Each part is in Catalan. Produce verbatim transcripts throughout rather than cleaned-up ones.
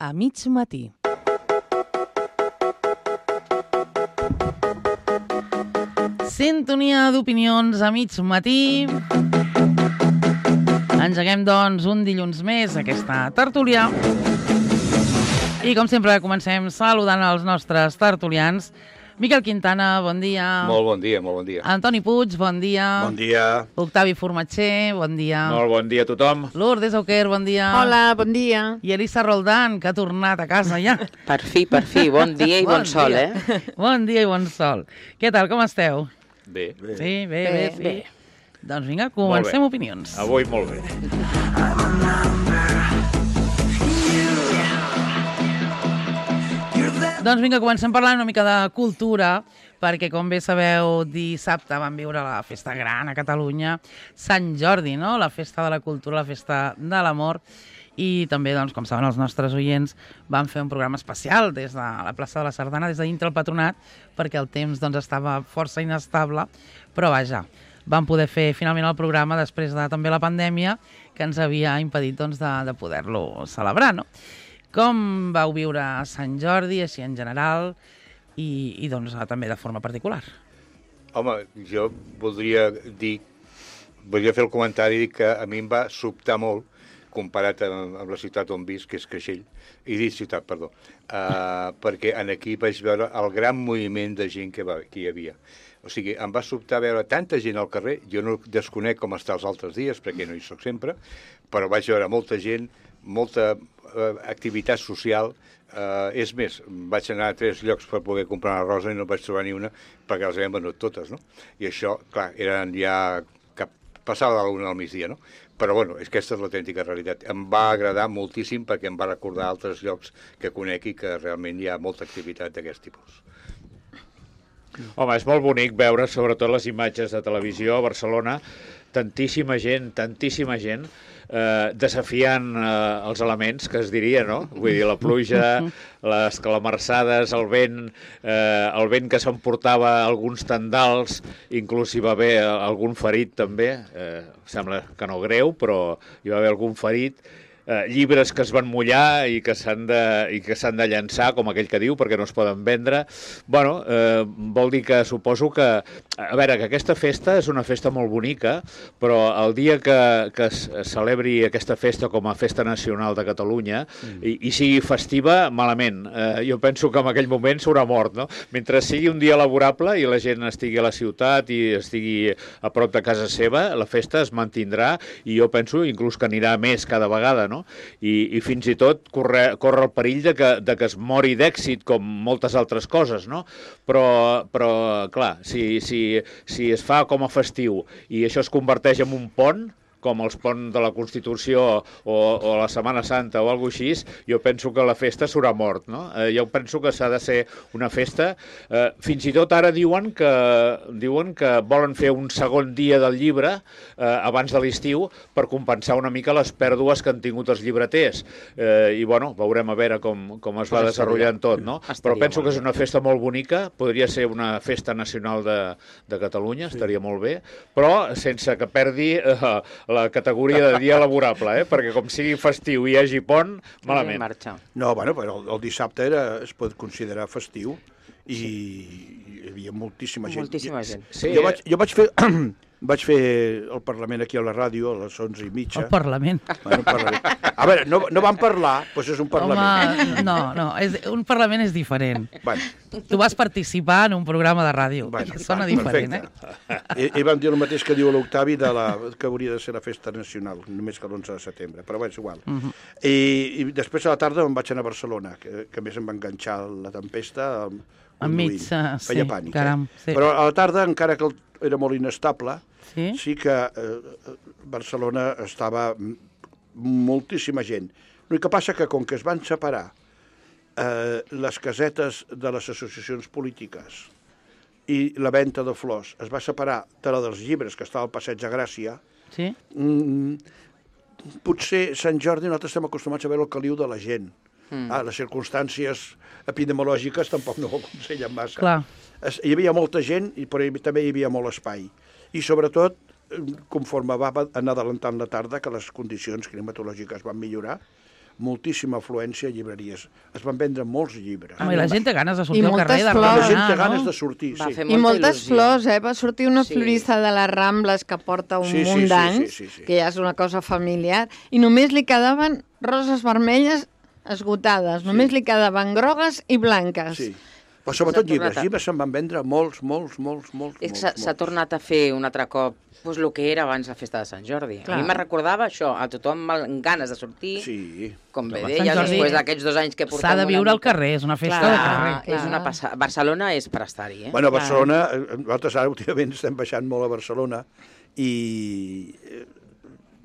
a mig matí. Sintonia d'opinions a mig matí. Engeguem, doncs, un dilluns més aquesta tertúlia. I, com sempre, comencem saludant els nostres tertulians. Miquel Quintana, bon dia. Molt bon dia, molt bon dia. Antoni Puig, bon dia. Bon dia. Octavi Formatxer, bon dia. Molt bon dia a tothom. Lourdes Auquer, bon dia. Hola, bon dia. I Elisa Roldán, que ha tornat a casa ja. Per fi, per fi. Bon dia i bon, bon sol, dia. eh? Bon dia i bon sol. Què tal, com esteu? Bé. Bé. Sí, bé, bé, Bé, sí. bé. Doncs vinga, comencem opinions. Avui molt bé. Doncs vinga, comencem parlant una mica de cultura, perquè, com bé sabeu, dissabte vam viure la festa gran a Catalunya, Sant Jordi, no? La festa de la cultura, la festa de l'amor, i també, doncs, com saben els nostres oients, vam fer un programa especial des de la plaça de la Sardana, des de dintre el Patronat, perquè el temps, doncs, estava força inestable, però vaja, vam poder fer finalment el programa després de també la pandèmia, que ens havia impedit, doncs, de, de poder-lo celebrar, no? Com vau viure Sant Jordi, així en general, i, i doncs també de forma particular? Home, jo voldria dir, voldria fer el comentari que a mi em va sobtar molt, comparat amb, amb la ciutat on visc, que és Creixell, i dit ciutat, perdó, uh, perquè en aquí vaig veure el gran moviment de gent que, va, que hi havia. O sigui, em va sobtar veure tanta gent al carrer, jo no desconec com està els altres dies, perquè no hi soc sempre, però vaig veure molta gent, molta uh, activitat social. Uh, és més, vaig anar a tres llocs per poder comprar una rosa i no vaig trobar ni una perquè les havien venut totes, no? I això, clar, eren ja cap, passava de l'una al migdia, no? Però, bueno, és que aquesta és l'autèntica realitat. Em va agradar moltíssim perquè em va recordar altres llocs que conec i que realment hi ha molta activitat d'aquest tipus. Home, és molt bonic veure, sobretot les imatges de televisió a Barcelona, tantíssima gent, tantíssima gent, eh, desafiant eh, els elements, que es diria, no? Vull dir, la pluja, les calamarsades, el vent, eh, el vent que s'emportava alguns tendals, inclús hi va haver algun ferit també, eh, sembla que no greu, però hi va haver algun ferit, eh, llibres que es van mullar i que s'han de, i que s'han de llançar, com aquell que diu, perquè no es poden vendre. Bueno, eh, vol dir que suposo que... A veure, que aquesta festa és una festa molt bonica, però el dia que, que es celebri aquesta festa com a festa nacional de Catalunya mm. i, i sigui festiva, malament. Eh, jo penso que en aquell moment s'haurà mort, no? Mentre sigui un dia laborable i la gent estigui a la ciutat i estigui a prop de casa seva, la festa es mantindrà i jo penso inclús que anirà més cada vegada, no? I, i fins i tot corre, corre el perill de que, de que es mori d'èxit com moltes altres coses, no? Però, però clar, si, si, si es fa com a festiu i això es converteix en un pont, com els ponts de la Constitució o, o la Setmana Santa o alguna cosa així, jo penso que la festa s'haurà mort, no? Eh, jo penso que s'ha de ser una festa. Eh, fins i tot ara diuen que, diuen que volen fer un segon dia del llibre eh, abans de l'estiu per compensar una mica les pèrdues que han tingut els llibreters. Eh, I, bueno, veurem a veure com, com es va desenvolupant tot, no? Però penso que és una festa molt bonica, podria ser una festa nacional de, de Catalunya, estaria molt bé, però sense que perdi eh, la categoria de dia laborable, eh? Perquè com sigui festiu i hi hagi pont, malament. No, bueno, però el, el dissabte era, es pot considerar festiu i sí. Hi havia moltíssima gent. Moltíssima gent. Sí, jo, vaig, jo vaig fer... Vaig fer el Parlament aquí a la ràdio a les onze i mitja. El Parlament. Bueno, parlament. A veure, no, no vam parlar, doncs és un Parlament. Home, no, no, és, un Parlament és diferent. Bueno. Tu vas participar en un programa de ràdio, Bueno, que sona bueno, diferent, perfecte. eh? I, I vam dir el mateix que diu l'Octavi de la, que hauria de ser la festa nacional, només que l'onze de setembre, però bé, és igual. Uh -huh. I, I després a la tarda em vaig anar a Barcelona, que, que a més em va enganxar la tempesta enmig, uh, feia sí, pànic. caram, eh? sí. Però a la tarda, encara que era molt inestable, sí, sí que eh, Barcelona estava moltíssima gent. El que passa que com que es van separar eh, les casetes de les associacions polítiques i la venda de flors es va separar de la dels llibres que estava al Passeig de Gràcia, sí. mm, potser Sant Jordi nosaltres estem acostumats a veure el caliu de la gent. Mm. Ah, les circumstàncies epidemiològiques tampoc no ho aconsellen massa. Clar. Hi havia molta gent, però també hi havia molt espai. I sobretot, conforme va anar adelantant la tarda, que les condicions climatològiques van millorar, moltíssima afluència a llibreries. Es van vendre molts llibres. Home, i la gent té ganes de sortir I al carrer, de moltes flors. La gent remenar, té ganes no? de sortir, Va sí. fer I molta moltes il·lusió. flors, eh? Va sortir una Sí. florista de les Rambles que porta un Sí, sí, munt sí, d'anys, sí, sí, sí. que ja és una cosa familiar, i només li quedaven roses vermelles esgotades, només li quedaven grogues i blanques. Sí. Però sobretot S'ha llibres. tornat a- Llibres se'n van vendre molts, molts, molts, molts. És que molts, s'ha s'ha molts. tornat a fer un altre cop pues, el que era abans la festa de Sant Jordi. Clar. A mi me recordava això, a tothom amb ganes de sortir, Sí. com bé Sant deia, Jordi després d'aquests dos anys que portem S'ha de viure una al mica. carrer, és una festa Clar. de carrer. Ah, és una passa... Barcelona és per estar-hi, eh? Bueno, a Barcelona, eh, nosaltres ara últimament estem baixant molt a Barcelona i eh,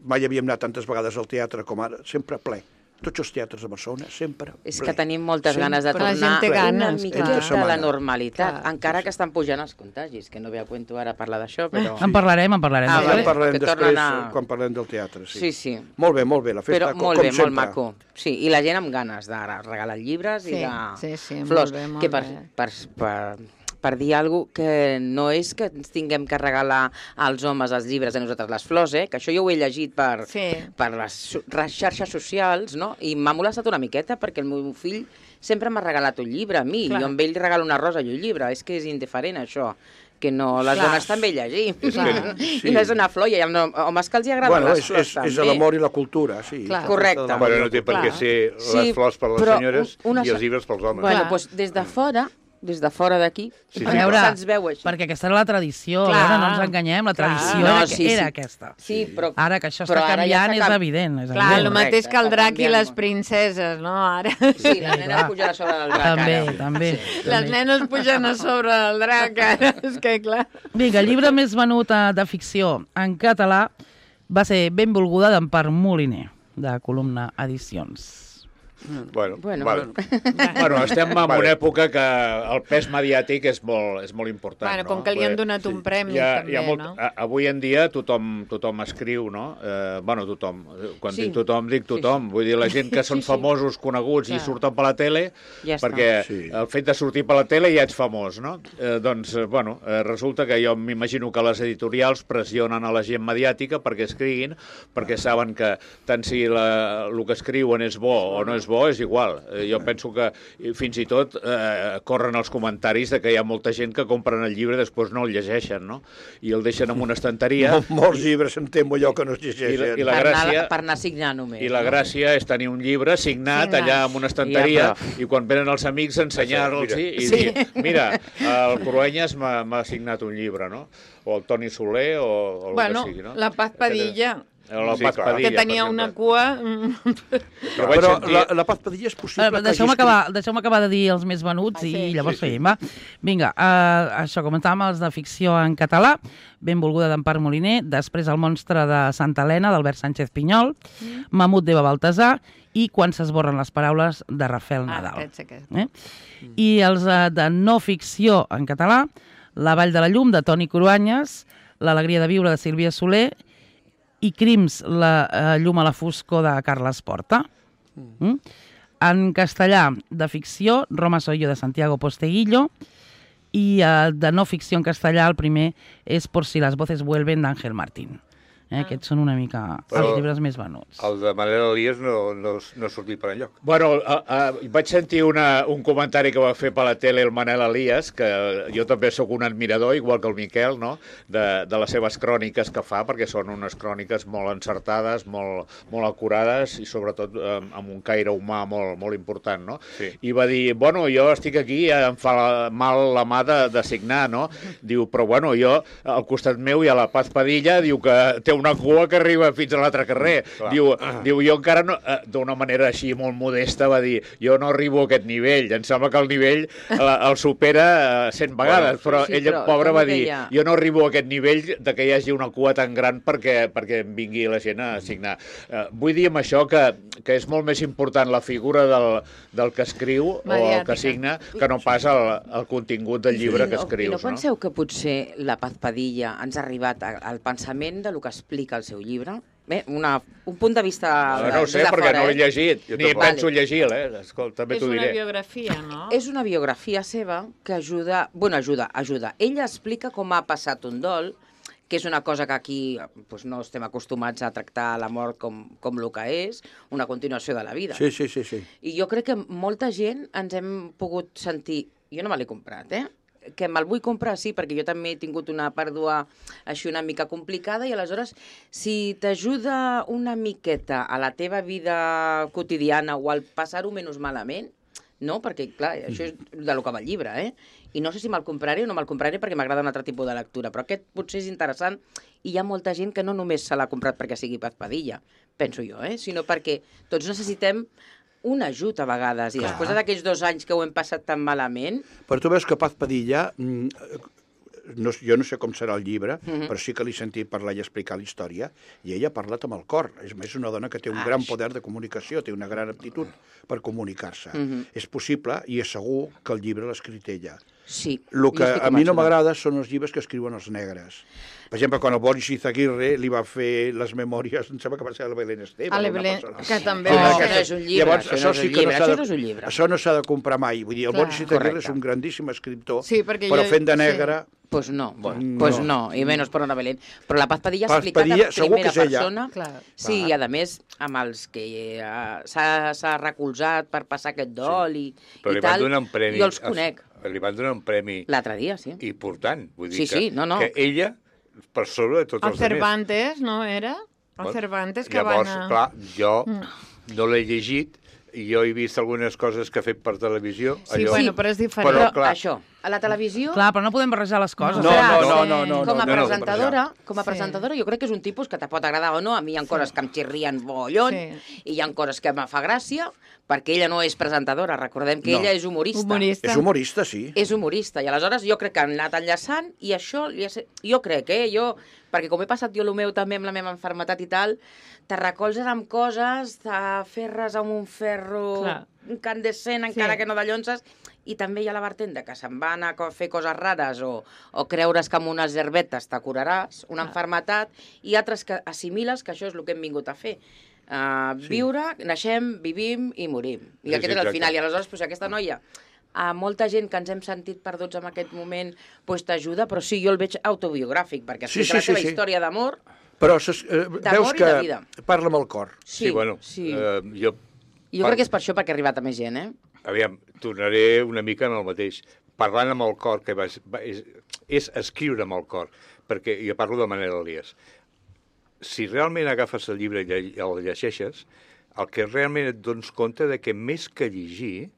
mai havíem anat tantes vegades al teatre com ara, sempre ple. Tots els teatres de Barcelona, sempre És ple. que tenim moltes Sempre ganes de La gent tornar té una ganes, miqueta clar. a la setmana. normalitat, Clar. encara que estan pujant els contagis, que no ve a cuento ara parlar d'això, però... En parlarem, en parlarem. Ah, Ja vale. en parlarem Que després, tornen a- quan parlem del teatre. Sí. Sí, sí. Molt bé, molt bé, la festa, Però com, molt com bé, sempre. molt maco. Sí, i la gent amb ganes de regalar llibres Sí, i de sí, sí, molt flors. bé, molt que per, bé. per, per, per dir alguna cosa que no és que ens tinguem que regalar als homes els llibres i a nosaltres les flors, eh? Que això jo ho he llegit per, Sí. per les, so- les xarxes socials, no? I m'ha molestat una miqueta perquè el meu fill sempre m'ha regalat un llibre a mi, Clar. i jo amb ell li regalo una rosa i un llibre. És que és indiferent, això. Que no, les Clar. dones també llegim. És que- sí. I no és una flor, i hi ha homes que els hi agraden Bueno, les és, flors és, també. és l'amor i la cultura, sí. Clar. La Correcte. festa de l'amor i Bueno, la no té per cultura. què ser Sí, les flors per les però senyores una i els so- llibres pels homes. Bueno, Clar. doncs des de fora, des de fora d'aquí, Sí, sí, A veure, se'ns veu així. perquè aquesta era la tradició, Clar. a veure, no ens enganyem, la Clar. tradició No, era, sí, sí. era aquesta. Sí, però... Ara que això però està ara ja canviant està és canvi- evident. És Clar, evident. el mateix que el Correcte, drac i està les canviant. princeses, no? Ara... Sí, les nenes clar. pugen a sobre del drac, També, ara. també. Les també. nenes pugen a sobre del drac, ara. És que, clar... Vinga, el llibre més venut eh, de ficció en català va ser Benvolguda d'Empar Moliner, de Columna Edicions. Bueno, Bueno, vale. Bueno, estem en Vale. una època que el pes mediàtic és molt, és molt important. Bueno, no? com que li han Perquè donat un premi, hi ha, també, hi ha molt, no? a- Avui en dia tothom, tothom escriu, no? Eh, bueno, tothom. Quan Sí. dic tothom, dic tothom. Vull dir, la gent que són Sí, sí. famosos, coneguts i Clar. surten per la tele, Ja està. perquè Sí. el fet de sortir per la tele ja ets famós, no? Eh, doncs, eh, bueno, eh, resulta que jo m'imagino que les editorials pressionen a la gent mediàtica perquè escriguin, perquè saben que tant si la, el que escriuen és bo o no és bo, és igual. Eh, jo penso que eh, fins i tot eh, corren els comentaris de que hi ha molta gent que compren el llibre i després no el llegeixen, no? I el deixen en una estanteria. Mol, molts llibres em temo jo que no es I la, llegeixen. i la per, gràcia... anar, per anar a signar només. I la no? gràcia és tenir un llibre signat, Signat. allà en una estanteria Ja, i quan venen els amics ensenyar-los i, i Sí. dir, mira, el Cruanyes m'ha m'ha signat un llibre, no? O el Toni Soler o, o el Bueno, que sigui, no? la Paz Padilla, O la Sí, Paz clar. Padilla, que tenia per una exemple. cua... Però vaig Però sentir... la, la Paz Padilla és possible Eh, que hagi Deixeu-me escrit- acabar, deixeu acabar de dir els més venuts Ah, sí. i llavors Sí, sí. seguim, va. Vinga, uh, això, comentàvem els de ficció en català, Benvolguda d'Empar Moliner, després El monstre de Santa Helena, d'Albert Sánchez Pinyol, mm. Mamut d'Eva Baltasar i Quan s'esborren les paraules, de Rafael Ah, Nadal. aquest, aquest. Eh? I els uh, de no ficció en català, La vall de la llum, de Toni Cruanyes, L'alegria de viure, de Sílvia Soler, i Crims, la uh, llum a la foscor, de Carles Porta. Mm? En castellà, de ficció, Roma soy yo, de Santiago Posteguillo, i uh, de no ficció en castellà, el primer és Por si las voces vuelven, d'Àngel Martín. Eh? Aquests són una mica Però els llibres més venuts. El de Manel Elias no, no, no ha sortit per enlloc. Bueno, a, a, vaig sentir una, un comentari que va fer per la tele el Manel Elias, que jo també sóc un admirador, igual que el Miquel, no? de, de les seves cròniques que fa, perquè són unes cròniques molt encertades, molt, molt acurades i sobretot eh, amb un caire humà molt, molt important. No? Sí. I va dir, bueno, jo estic aquí, em fa la, mal la mà de, de signar, no? Diu, però bueno, jo, al costat meu hi ha la Paz Padilla, diu que té una cua que arriba fins a l'altre carrer. Clar. Diu, diu, jo encara no, eh, d'una manera així molt modesta, va dir, jo no arribo a aquest nivell, em sembla que el nivell el, el supera eh, cent vegades, Bueno, però sí, ella, però pobra, com va dir, deia- jo no arribo a aquest nivell de que hi hagi una cua tan gran perquè, perquè em vingui la gent a signar. Eh, vull dir amb això que, que és molt més important la figura del, del que escriu o el Mediàtica. que signa que no pas el, el contingut del llibre que I no, escrius. I no penseu que potser la Paz Padilla ens ha arribat a- al pensament de lo que explica el seu llibre? Bé, una, un punt de vista... No, no ho sé, des de perquè fora, no l'he eh? llegit, Jo ni tampoc. penso llegir-la, eh? Escolta, també És t'ho una diré. biografia, no? És una biografia seva que ajuda... Bueno, ajuda, ajuda. Ella explica com ha passat un dol, que és una cosa que aquí doncs, no estem acostumats a tractar la mort com, com el que és, una continuació de la vida. Sí, sí, sí, sí. I jo crec que molta gent ens hem pogut sentir... Jo no me l'he comprat, eh? Que me'l vull comprar, sí, perquè jo també he tingut una pèrdua així una mica complicada i aleshores, si t'ajuda una miqueta a la teva vida quotidiana o al passar-ho menys malament, no? Perquè, clar, això és de lo que va el llibre, eh? I no sé si me'l compraré o no me'l compraré perquè m'agrada un altre tipus de lectura, però aquest potser és interessant i hi ha molta gent que no només se l'ha comprat perquè sigui Paz Padilla, penso jo, eh? Sinó perquè tots necessitem un ajut a vegades, i Clar. després d'aquells dos anys que ho hem passat tan malament... Però tu veus que Paz Padilla, mm, no, jo no sé com serà el llibre, Mhm. però sí que l'he sentit parlar i explicar la història, i ella ha parlat amb el cor. És més, una dona que té un Ah, gran això. poder de comunicació, té una gran aptitud per comunicar-se. Mhm. És possible, i és segur, que el llibre l'ha escrit ella. Sí. El que jo estic a mi no convençuda. m'agrada són els llibres que escriuen els negres. Per exemple, quan el Boris Izaguirre li va fer les memòries, em sembla que va ser a la Belén Esteban. A la una Belén, persona. que també No, va això ser... no és un llibre, Llavors, això no és sí un que llibre, s'ha això de- no és un llibre. Això no s'ha de comprar mai. Vull dir, el Clar. Boris Izaguirre Correcte. és un grandíssim escriptor, Sí, perquè però jo- fent de sí. negre... Pues no, Bueno, pues no. no, i menys per una Belén. Però la Paz Padilla ha Paz explicat Padilla, en segur que primera és ella. persona. Clar. Sí, i a més, amb els que eh, s'ha s'ha recolzat per passar aquest dol i, Però i li van tal, donar un premi... jo els conec. Li van donar un premi L'altre dia, sí. important. Vull dir Sí, que, sí, no, no. que ella, per sobre de tots El els altres. Cervantes, no era? El Cervantes que Llavors, van a... clar, jo no l'he llegit, i jo he vist algunes coses que ha fet per televisió. Sí, bueno, però és diferent. Però, Però clar, això, a la televisió... Clar, però no podem barrejar les coses. No, Clar, no, no, sí. no, no, com a no, no, no, presentadora, com a Sí. presentadora, jo crec que és un tipus que te pot agradar o no. A mi hi ha coses que em xirrien bollon Sí. i hi ha coses que em fa gràcia, perquè ella no és presentadora. Recordem que No. ella és humorista. Humorista. És humorista, sí. És humorista, i aleshores jo crec que han anat enllaçant i això, li ha set- jo crec, eh, jo, perquè com he passat jo el meu també amb la meva enfermetat i tal, te recolzes amb coses, t'aferres amb un ferro Clar. incandescent, encara Sí. que no de llonses, i també hi ha la vertent de que se'n va anar a fer coses rares o, o creure's que amb unes herbetes te curaràs una enfermetat, i altres que assimiles que això és el que hem vingut a fer. Uh, sí. Viure, naixem, vivim i morim. I Sí, aquest sí, és el exacte. final. I aleshores, doncs, aquesta noia, a molta gent que ens hem sentit perduts en aquest moment, doncs t'ajuda, però sí, jo el veig autobiogràfic, perquè Sí, explica sí, la seva sí, sí. història d'amor. Però ses, eh, veus i que de vida. parla amb el cor. Sí, sí, bueno, sí. Eh, jo, Jo crec que és per això perquè ha arribat a més gent, eh? aviam, tornaré una mica en el mateix. Parlant amb el cor, que va, va, és, és escriure amb el cor, perquè jo parlo de Manel Elias. Si realment agafes el llibre i lle- el llegeixes, el que realment et dones compte de que més que llegir,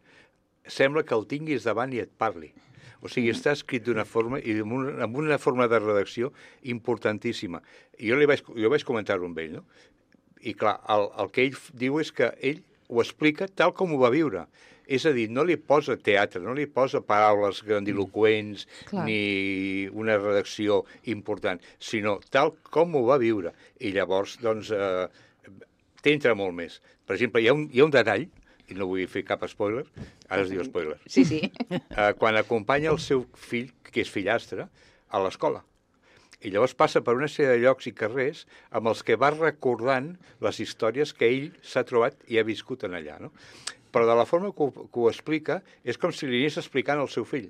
sembla que el tinguis davant i et parli. O sigui, està escrit d'una forma i amb una, amb una forma de redacció importantíssima. I jo, li vaig, jo vaig comentar-ho amb ell, no? I clar, el, el que ell f- diu és que ell ho explica tal com ho va viure. És a dir, no li posa teatre, no li posa paraules grandiloquents Clar. ni una redacció important, sinó tal com ho va viure. I llavors, doncs, eh, t'entra molt més. Per exemple, hi ha un, hi ha un detall, i no vull fer cap spoiler, ara es diu spoiler, Sí, sí. eh, quan acompanya el seu fill, que és fillastre, a l'escola. I llavors passa per una sèrie de llocs i carrers amb els que va recordant les històries que ell s'ha trobat i ha viscut en allà, no? Però de la forma que ho, que ho explica és com si li anés explicant al seu fill.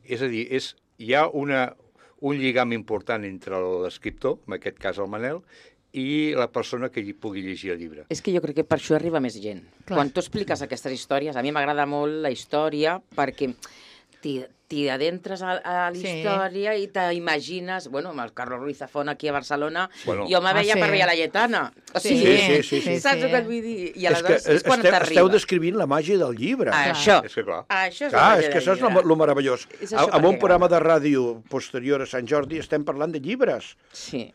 És a dir, és, hi ha una, un lligam important entre l'escriptor, en aquest cas el Manel, i la persona que hi pugui llegir el llibre. És que jo crec que per això arriba més gent. Clar. Quan tu expliques aquestes històries, a mi m'agrada molt la història perquè t'hi t'hi adentres a, a la Sí. història i t'imagines... Bueno, amb el Carlos Ruiz Zafón aquí a Barcelona, Bueno. jo me Ah, veia sí. per veure la Lletana. O Sí, sigui, sí, sí, sí. saps Sí. el que et vull dir? I És que aleshores és, quan esteu, t'arriba. esteu descrivint la màgia del llibre. Ah, això. És que clar. Això és Clar, la és màgia que del això és llibre. el meravellós. És això A- Amb perquè un programa agrada. de ràdio posterior a Sant Jordi estem parlant de llibres. Sí.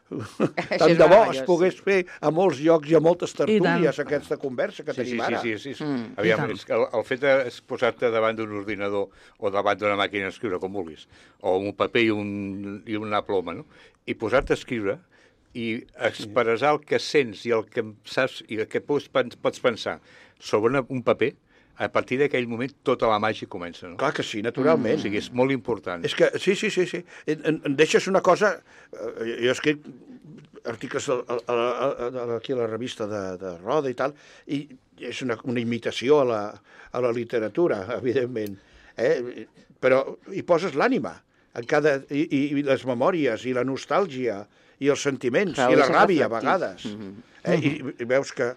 Tant de bo es pogués fer a molts llocs i a moltes tant. tertúlies aquesta conversa que Sí, sí, tenim sí, ara. sí, sí, sí. Mm. Aviam, I tant. és que el, el fet de posar-te davant d'un ordinador o davant d'una màquina d'escriure, com vulguis, o un paper i, un, i una ploma, no? I posar-te a escriure i expressar el que sents i el que saps i el que pots, pots pensar sobre una, un paper, a partir d'aquell moment tota la màgia comença, no? Clar que sí, naturalment. O sigui, és molt important. És que, sí, sí, sí, sí. En, en, em deixes una cosa... Eh, jo he escrit articles a, a, a, a, aquí a la revista de, de Roda i tal, i és una, una imitació a la, a la literatura, evidentment. Eh? Però hi poses l'ànima. en cada, i, i les memòries, i la nostàlgia, i els sentiments, Clar, i la és ràbia, a reflectit. vegades. Mhm. Eh? I, I veus que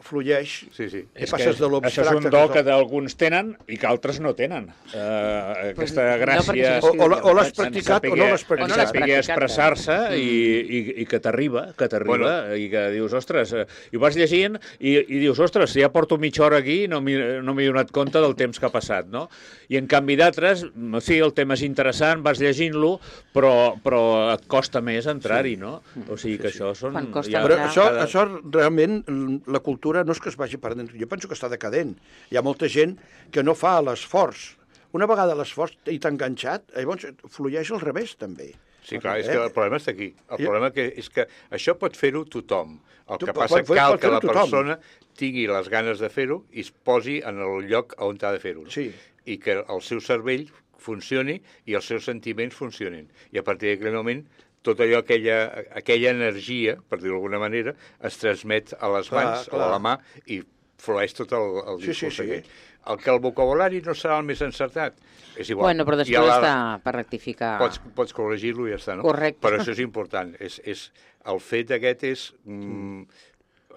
flueix, Sí, sí. i És passes que de l'abstracte... això és un do que d'alguns tenen i que altres no tenen. Uh, aquesta no, gràcia... perquè O, o, la- o l'has En practicat o saber- no l'has O no l'has practicat. saber practicat, expressar-se eh? i, i, i que t'arriba, que t'arriba, Bueno. i que dius, ostres, eh, i ho vas llegint i, i dius, ostres, ja porto mitja hora aquí i no m'hi no m'he donat compte del temps que ha passat, no? I en canvi d'altres, sí, el tema és interessant, vas llegint-lo, però, però et costa més entrar-hi, no? O sigui que això són... Quan costa ja- Però entrar- això, cada- això realment, la cultura no és que es vagi perdent, jo penso que està decadent. Hi ha molta gent que no fa l'esforç. Una vegada l'esforç i t'ha enganxat, llavors flueix al revés, també. Sí, clar, és Eh? que el problema està aquí. El Jo- problema que és que això pot fer-ho tothom. El Tu- que pot- passa pot- cal pot que la fer-ho tothom. persona tingui les ganes de fer-ho i es posi en el lloc on ha de fer-ho. No? Sí. I que el seu cervell funcioni i els seus sentiments funcionin. I a partir d'aquell moment tot allò, aquella, aquella energia, per dir-ho d'alguna manera, es transmet a les Clar, mans o clar. a la mà i flueix tot el, el Sí, sí, discurs sí. aquell. El que el vocabulari no serà el més encertat, és igual. Bueno, però I després a la- està per rectificar. Pots, pots corregir-lo i ja està, no? Correcte. Però això és important. És, és, el fet aquest és... Mm,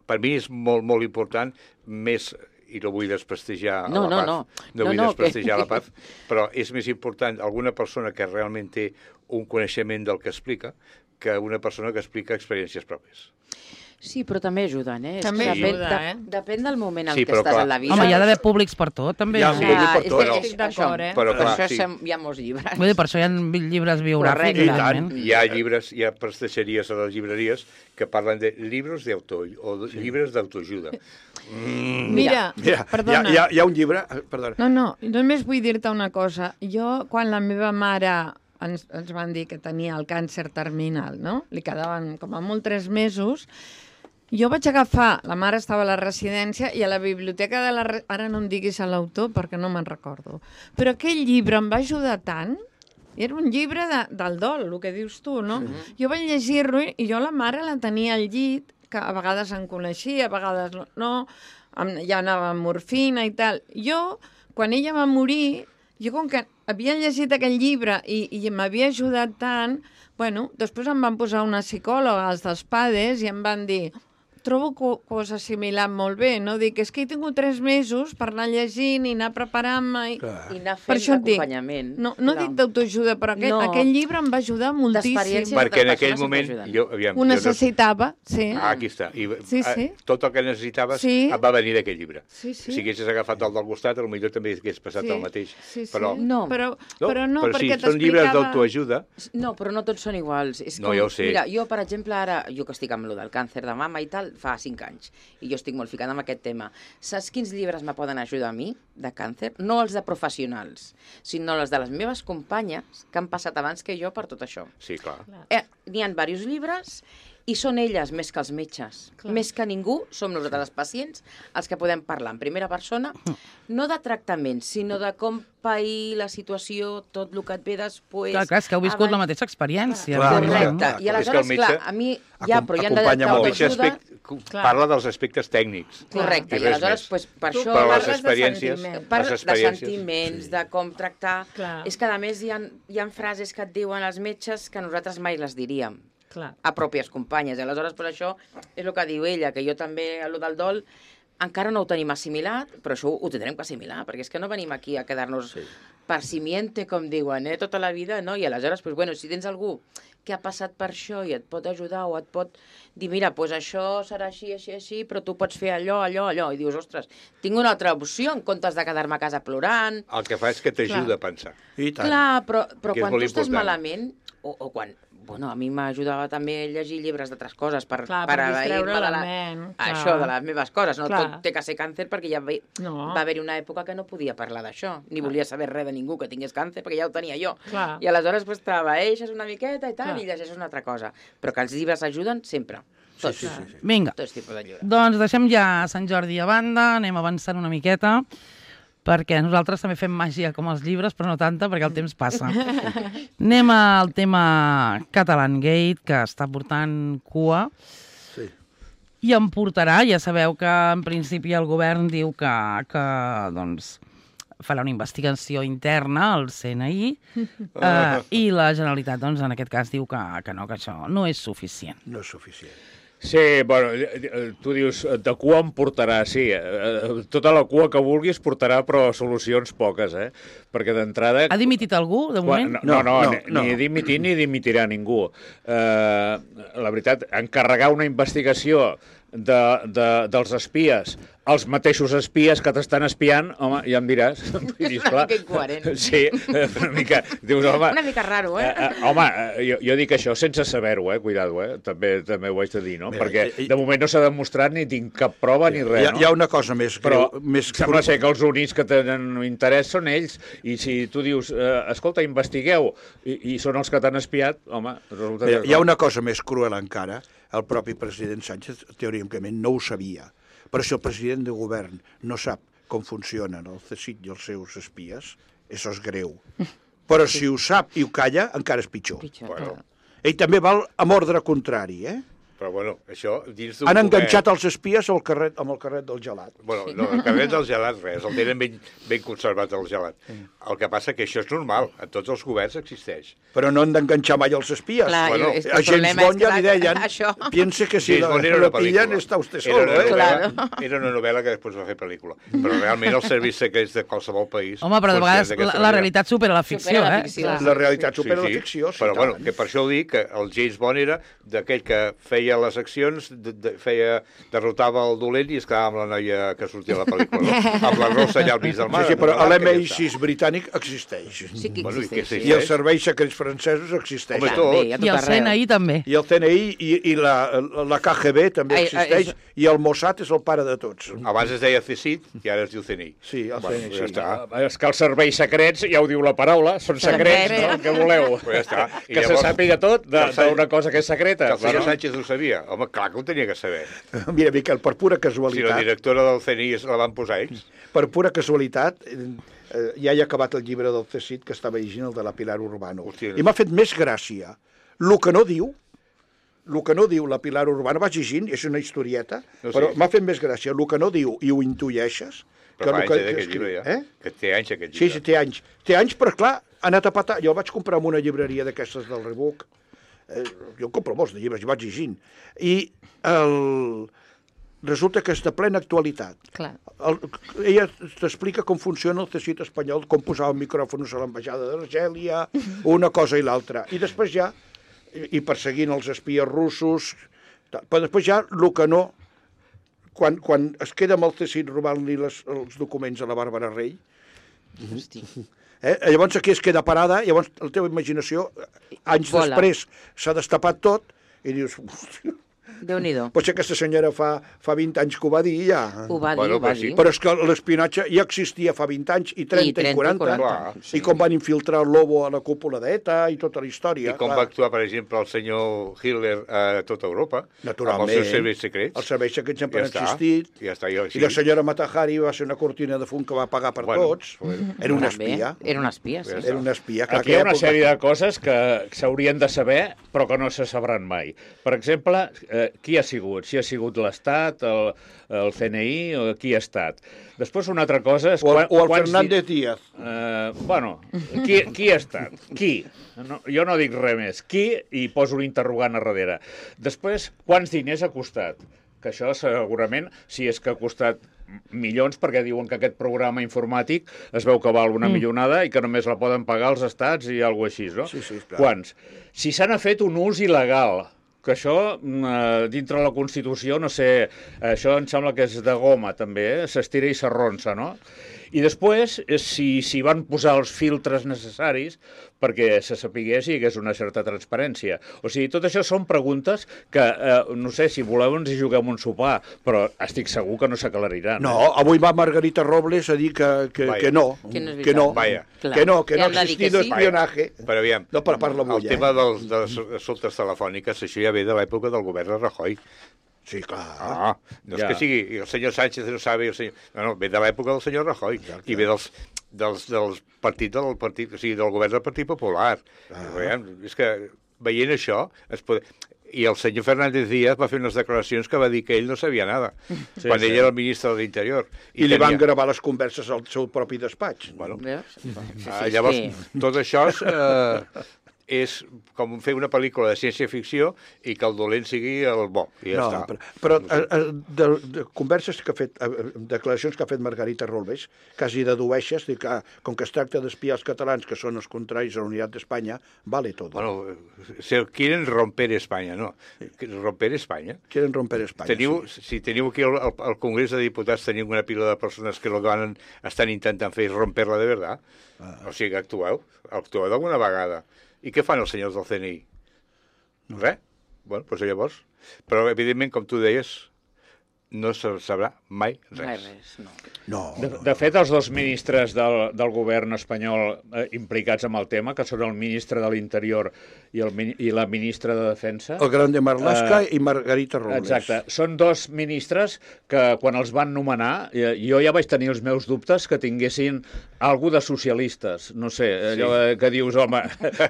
per mi és molt, molt important, més i no vull desprestigiar No, a la no, paz, no. no No, vull no, desprestigiar que- la paz, però és més important alguna persona que realment té un coneixement del que explica que una persona que explica experiències pròpies. Sí, però també ajuden, eh? És També que depèn, ajuda, de- eh? Depèn del moment en Sí, què però estàs clar. en la vida. Home, hi ha d'haver públics per tot, també. Hi ha no? públic per és tot. que Però- és Estic d'acord, això. eh? Però clar, això sí. sem- hi ha molts llibres. Vull dir, per això hi ha llibres biogràfics, Correcte. I tant. evidentment. Hi ha llibres, hi ha prestaixeries a les llibreries que parlen de llibres d'auto o de llibres d'autoajuda. Mm, Mira, Mira, perdona. hi ha, hi, ha, hi ha un llibre... eh, Perdona. No, no, només vull dir-te una cosa. Jo, quan la meva mare ens, ens van dir que tenia el càncer terminal, no? Li quedaven com a molt tres mesos. Jo vaig agafar, la mare estava a la residència i a la biblioteca de la... re- Ara no em diguis a l'autor perquè no me'n recordo. Però aquell llibre em va ajudar tant. Era un llibre de, del dol, el que dius tu, no? Sí. Jo vaig llegir-lo i jo la mare la tenia al llit, que a vegades em coneixia, a vegades no, em- ja anava amb morfina i tal. Jo, quan ella va morir, jo com que havia llegit aquell llibre i, i m'havia ajudat tant, bueno, després em van posar una psicòloga, els dels PADES, i em van dir... Trobo que ho has assimilat molt bé, no? Dic, és que he tingut tres mesos per anar llegint i anar preparant-me... I... I anar Per fent això et dic, acompanyament. no, no Clar. dic d'autoajuda, però aquell, No. aquell llibre em va ajudar moltíssim. D'experiències. perquè en altres aquell persones moment... sempre ajuden. Jo, aviam, Ho jo no- necessitava, sí. Ah, aquí està. I, Sí, sí. eh, tot el que necessitaves Sí. et va venir d'aquell llibre. Sí, sí. Si haguessis agafat el del costat, potser també hagués passat Sí. el mateix. Sí, sí. Però, No. Però, però no, però perquè sí, són llibres t'explicava... d'autoajuda. No, però no tots són iguals. És No, com, ja ho sé. Mira, jo, per exemple, ara, jo que estic amb lo del càncer de mama i tal, fa cinc anys, i jo estic molt ficada amb aquest tema. Saps quins llibres me poden ajudar a mi, de càncer? No els de professionals, sinó els de les meves companyes que han passat abans que jo per tot això. Sí, clar. Eh, N'hi ha diversos llibres i són elles més que els metges. Clar. Més que ningú, som nosaltres els pacients els que podem parlar en primera persona, no de tractament, sinó de com pair la situació, tot el que et ve després... Clar, clar, és que heu viscut abans- la mateixa experiència. Clar, evidentment. Correcte. clar. I És que el aleshores, metge clar, a mi ja, acom- però hi ha de acompanya El molt. metge d'autoajuda... aspect, Clar. parla dels aspectes tècnics. Correcte, I i res aleshores, més. pues, per Tu això... Però les parles de experiències... sentiment. Parla les de experiències... sentiments, de com tractar... Clar. És que, a més, hi ha, hi ha frases que et diuen els metges que nosaltres mai les diríem Clar. a pròpies companyes. I aleshores, per això, és el que diu ella, que jo també, a lo del dol, encara no ho tenim assimilat, però això ho tindrem que assimilar, perquè és que no venim aquí a quedar-nos sí. per simiente, com diuen, eh, tota la vida, no? I aleshores, pues, bueno, si tens algú que ha passat per això i et pot ajudar o et pot dir, mira, pues això serà així, així, així, però tu pots fer allò, allò, allò, i dius, ostres, tinc una altra opció en comptes de quedar-me a casa plorant. El que fa és que t'ajuda a pensar. I tant. Clar, però, però Que és quan molt tu estàs important. malament, o, o quan... Bueno, a mi m'ajudava també a llegir llibres d'altres coses per, Clar, per per distreure abair-me de la la... ment, clar. Això, de les meves coses. No Clar. tot té que ser càncer perquè ja va, No. va haver-hi una època que no podia parlar d'això, ni volia saber res de ningú que tingués càncer perquè ja ho tenia jo. Clar. I aleshores pues, t'abaeixes una miqueta i tal, Clar. i llegeixes una altra cosa. Però que els llibres ajuden sempre. Tots. sí, sí, sí. Vinga, Tots tipus de llibres. doncs deixem ja Sant Jordi a banda, anem avançant una miqueta, perquè nosaltres també fem màgia com els llibres, però no tanta, perquè el temps passa. Anem al tema Catalan Gate, que està portant cua, Sí. i em portarà, ja sabeu que en principi el govern diu que, que doncs, farà una investigació interna al C N I eh, i la Generalitat, doncs, en aquest cas, diu que, que no, que això no és suficient. No és suficient. Sí, bueno, tu dius, de cua em portarà, sí, tota la cua que vulguis portarà, però solucions poques, eh? Perquè d'entrada... Ha dimitit algú, de moment? No, no, no, no, ni, no. ni dimitir ni dimitirà ningú. Uh, la veritat, encarregar una investigació de, de, dels espies, els mateixos espies que t'estan espiant, home, ja em diràs. És una mica incoherent. Sí, una mica... Dius, home, Una mica raro, eh? Uh, uh, home, uh, jo, jo dic això sense saber-ho, eh? Cuidado, eh? També, també ho haig de dir, no? Mira, Perquè eh, eh, de moment no s'ha demostrat ni tinc cap prova ni res, Hi ha, no? hi ha una cosa més Però greu. Més sembla ser que els únics que tenen interès són ells, i si tu dius, eh, escolta, investigueu, i, i són els que t'han espiat, home, resulta Mira, que... hi ha una cosa més cruel encara. El propi president Sánchez, teòricament, no ho sabia. Però si el president de govern no sap com funcionen el C S I C i els seus espies, això és greu. Però si ho sap i ho calla, encara és pitjor. Pitjor, Bueno. clar. Ell també val amb ordre contrari, eh? Però, bueno, això dins d'un Han poder- enganxat els espies al carret, amb el carret del gelat. Bueno, no, el carret del gelat, res, el tenen ben, ben conservat, el gelat. El que passa que això és normal, en tots els governs existeix. Però no han d'enganxar mai els espies. Clar, Bueno, és que A el James problema Bond és que ja li la- deien, això... piense que si James la, Bond era la una pel·lícula. pillen està usted Era solo, una eh? novel·la, Claro. era una novel·la que després va fer pel·lícula. Però realment els serveis secrets de qualsevol país... Home, però de vegades funcionen d'aquesta la, la manera. realitat supera la ficció, Supera la eh? ficció. La realitat supera la ficció, sí, però tant. bueno, que per això ho dic, que el James Bond era d'aquell que feia les accions, de, de, feia, derrotava el dolent i es quedava amb la noia que sortia a la pel·lícula, no? Amb la rossa allà al mig del mar. Sí, sí, però amb la barca, l'M I ja sis britànic existeix. Sí que Bueno, i què existeix. sé I els serveis secrets francesos existeixen. Home, tot. També, a tot I el C N I arreu. també. I el C N I i, i la, la K G B també Ai, ai, existeix, és- i el Mossad és el pare de tots. Abans es deia C S I C i ara es diu C N I. Sí, el Bueno, C N I, ja sí. està. Ah, és que els serveis secrets, ja ho diu la paraula, són secrets, Secret. no? El que voleu. Pues ja està. I Que se llavors- sàpiga tot de- que el senyor- d'una cosa que és secreta. Que el senyor bueno. Sánchez ho sabia. Home, clar que ho tenia que saber. Mira, Miquel, per pura Si la casualitat, directora del C N I es la van posar ells. per pura casualitat, eh, ja he acabat el llibre del C S I C que estava llegint, el de la Pilar Urbano. Hòstia. I m'ha fet més gràcia. El que no diu, el que no diu la Pilar Urbano, vaig llegint, és una historieta, No, sí. però m'ha fet més gràcia. El que no diu i ho intueixes... Però fa el anys eh, d'aquest llibre, ja. Eh? Que té anys aquest Sí, llibre. sí, té anys. Té anys, però clar, ha anat a patar. Jo el vaig comprar en una llibreria d'aquestes del Rebook. Eh, jo compro molts de llibres, i vaig llegint. I el... resulta que és de plena actualitat. Clar. El, ella t'explica com funciona el teixit espanyol, com posava micròfons a l'ambaixada d'Argèlia, una cosa i l'altra. I després ja, i, i perseguint els espies russos, tal. Però després ja, el que no, quan, quan es queda amb el teixit robant-li les, els documents a la Bàrbara Rey, Hosti. eh? llavors aquí es queda parada, llavors la teva imaginació, anys Vola. després, s'ha destapat tot, i dius, hòstia, Déu-n'hi-do. potser aquesta senyora fa, fa vint anys que ho va dir ja. Ho va dir, Bueno, ho va però sí. dir. Però és que l'espionatge ja existia fa vint anys, i trenta, i, trenta, quaranta, Clar. i com van infiltrar el Lobo a la cúpula d'ETA i tota la història. I com va actuar, per exemple, el senyor Hitler a tota Europa, Naturalment. amb els seus serveis secrets. Els serveis secrets sempre Ja han està. existit. Ja està, jo, I la senyora Matahari va ser una cortina de fum que va pagar per Bueno, tots. bueno. Era una També. espia. Era una espia, sí. Ja Era una espia. Clar, Aquí hi ha una aquella sèrie època- de coses que s'haurien de saber, però que no se sabran mai. Per exemple, eh, qui ha sigut? Si ha sigut l'Estat, el, el C N I, o qui ha estat? Després, una altra cosa és... O el, quan- o el quants Fernández di- Díaz. Eh, bueno, qui, qui ha estat? Qui? No, jo no dic res més. Qui? I poso un interrogant a darrere. Després, quants diners ha costat? Que això segurament, si és que ha costat milions, perquè diuen que aquest programa informàtic es veu que val una mm. milionada i que només la poden pagar els estats i alguna cosa així, no? Sí, sí, clar. Quants? Si se n'ha fet un ús il·legal, que això, eh, dintre la Constitució, no sé, això em sembla que és de goma, també, eh? S'estira i s'arronsa, no? I després, eh, si, si van posar els filtres necessaris perquè se sapigués i hi hagués una certa transparència. O sigui, tot això són preguntes que, eh, no sé, si voleu ens hi juguem un sopar, però estic segur que no s'aclariran. No, avui va Margarita Robles a dir que, que, Vaya. que no, Que no és que no, veritat. Vaya. Clar. que no, que Que no han de ha dir que existit sí. espionaje. Però aviam, No, per parla el avui, eh? tema dels, de les assumptes telefòniques, això ja ve de l'època del govern de Rajoy. Sí, clar. Ah, no és Ja. que sigui i el senyor Sánchez no sabe, el senyor... No, no, ve de l'època del senyor Rajoy i ve dels, dels, dels partits del partit, o sigui, del govern del Partit Popular. Ah. Veiem, és que veient això, es pot... I el senyor Fernández Díaz va fer unes declaracions que va dir que ell no sabia nada, Sí, quan sí. ell era el ministre de l'Interior. I, I li van gravar les converses al seu propi despatx. Bueno, Veus? Sí, sí, ah, sí. llavors, tot això és, eh, és com fer una pel·lícula de ciència-ficció i que el dolent sigui el bo. I ja No, està. però, però eh, eh, de, de converses que ha fet, eh, declaracions que ha fet Margarita Robles, quasi dedueixes de que, com que es tracta d'espiar els catalans, que són els contraris a la unitat d'Espanya, vale tot. Bueno, se quieren romper Espanya, no. Romper Espanya. Quieren romper Espanya. Teniu, sí. si teniu aquí al, al Congrés de Diputats, teniu una pila de persones que el que van, estan intentant fer és romper-la de veritat. Ah. O sigui, actueu. Actueu d'alguna vegada. I què fan els senyors del C N I? No. Res. Bueno, doncs llavors... Però, evidentment, com tu deies, no se sabrà mai res. Mai res, no. No, De, no, de fet, els dos ministres del, del govern espanyol eh, implicats amb el tema, que són el ministre de l'Interior i, el, mini- i la ministra de Defensa... el Gran de Marlaska Eh, i Margarita Robles. Exacte. Són dos ministres que, quan els van nomenar, eh, jo ja vaig tenir els meus dubtes que tinguessin algú de socialistes. No sé, allò sí. que dius, home,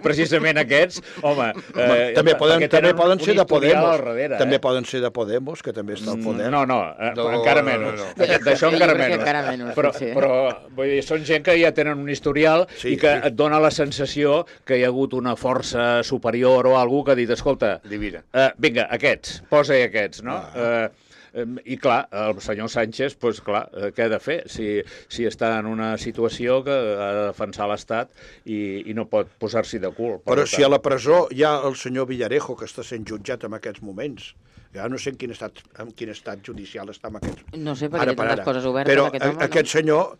precisament aquests, home... Home, també poden, perquè també tenen poden ser un de historial Podemos. al darrere, també eh? poden ser de Podemos, que també està al poder. No, no, eh, No, encara no, menys. no, no. D'això- D'això Jo encara crec que menys. encara menys, Però, potser. però vull dir, són gent que ja tenen un historial Sí, i que sí. et dona la sensació que hi ha hagut una força superior o algú que ha dit, escolta, Divina. uh, vinga, aquests, posa-hi aquests, no? Ah. Uh, I clar, el senyor Sánchez, doncs clar, eh, què ha de fer? Si, si està en una situació que ha de defensar l'Estat i, i no pot posar-s'hi de cul. Per Però tant. si a la presó hi ha el senyor Villarejo, que està sent jutjat en aquests moments, ja no sé en quin estat, en quin estat judicial està en aquests... No sé, perquè té per tantes coses obertes, Però aquest home, no? aquest senyor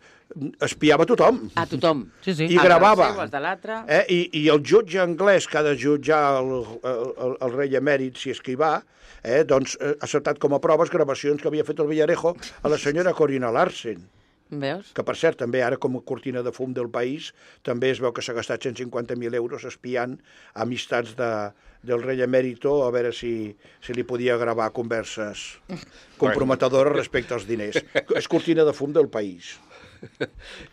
espiava tothom. A tothom. Sí, sí. I gravava. Els del seu, els de l'altre. Eh? I, I el jutge anglès que ha de jutjar el, el, el, el rei emèrit, si és que hi va, eh, doncs ha acceptat com a proves gravacions que havia fet el Villarejo a la senyora Corina Larsen, Veus? que per cert també ara com a cortina de fum del país també es veu que s'ha gastat cent cinquanta mil euros espiant amistats de, del rei emèrito a veure si, si li podia gravar converses comprometedores respecte als diners. És cortina de fum del país.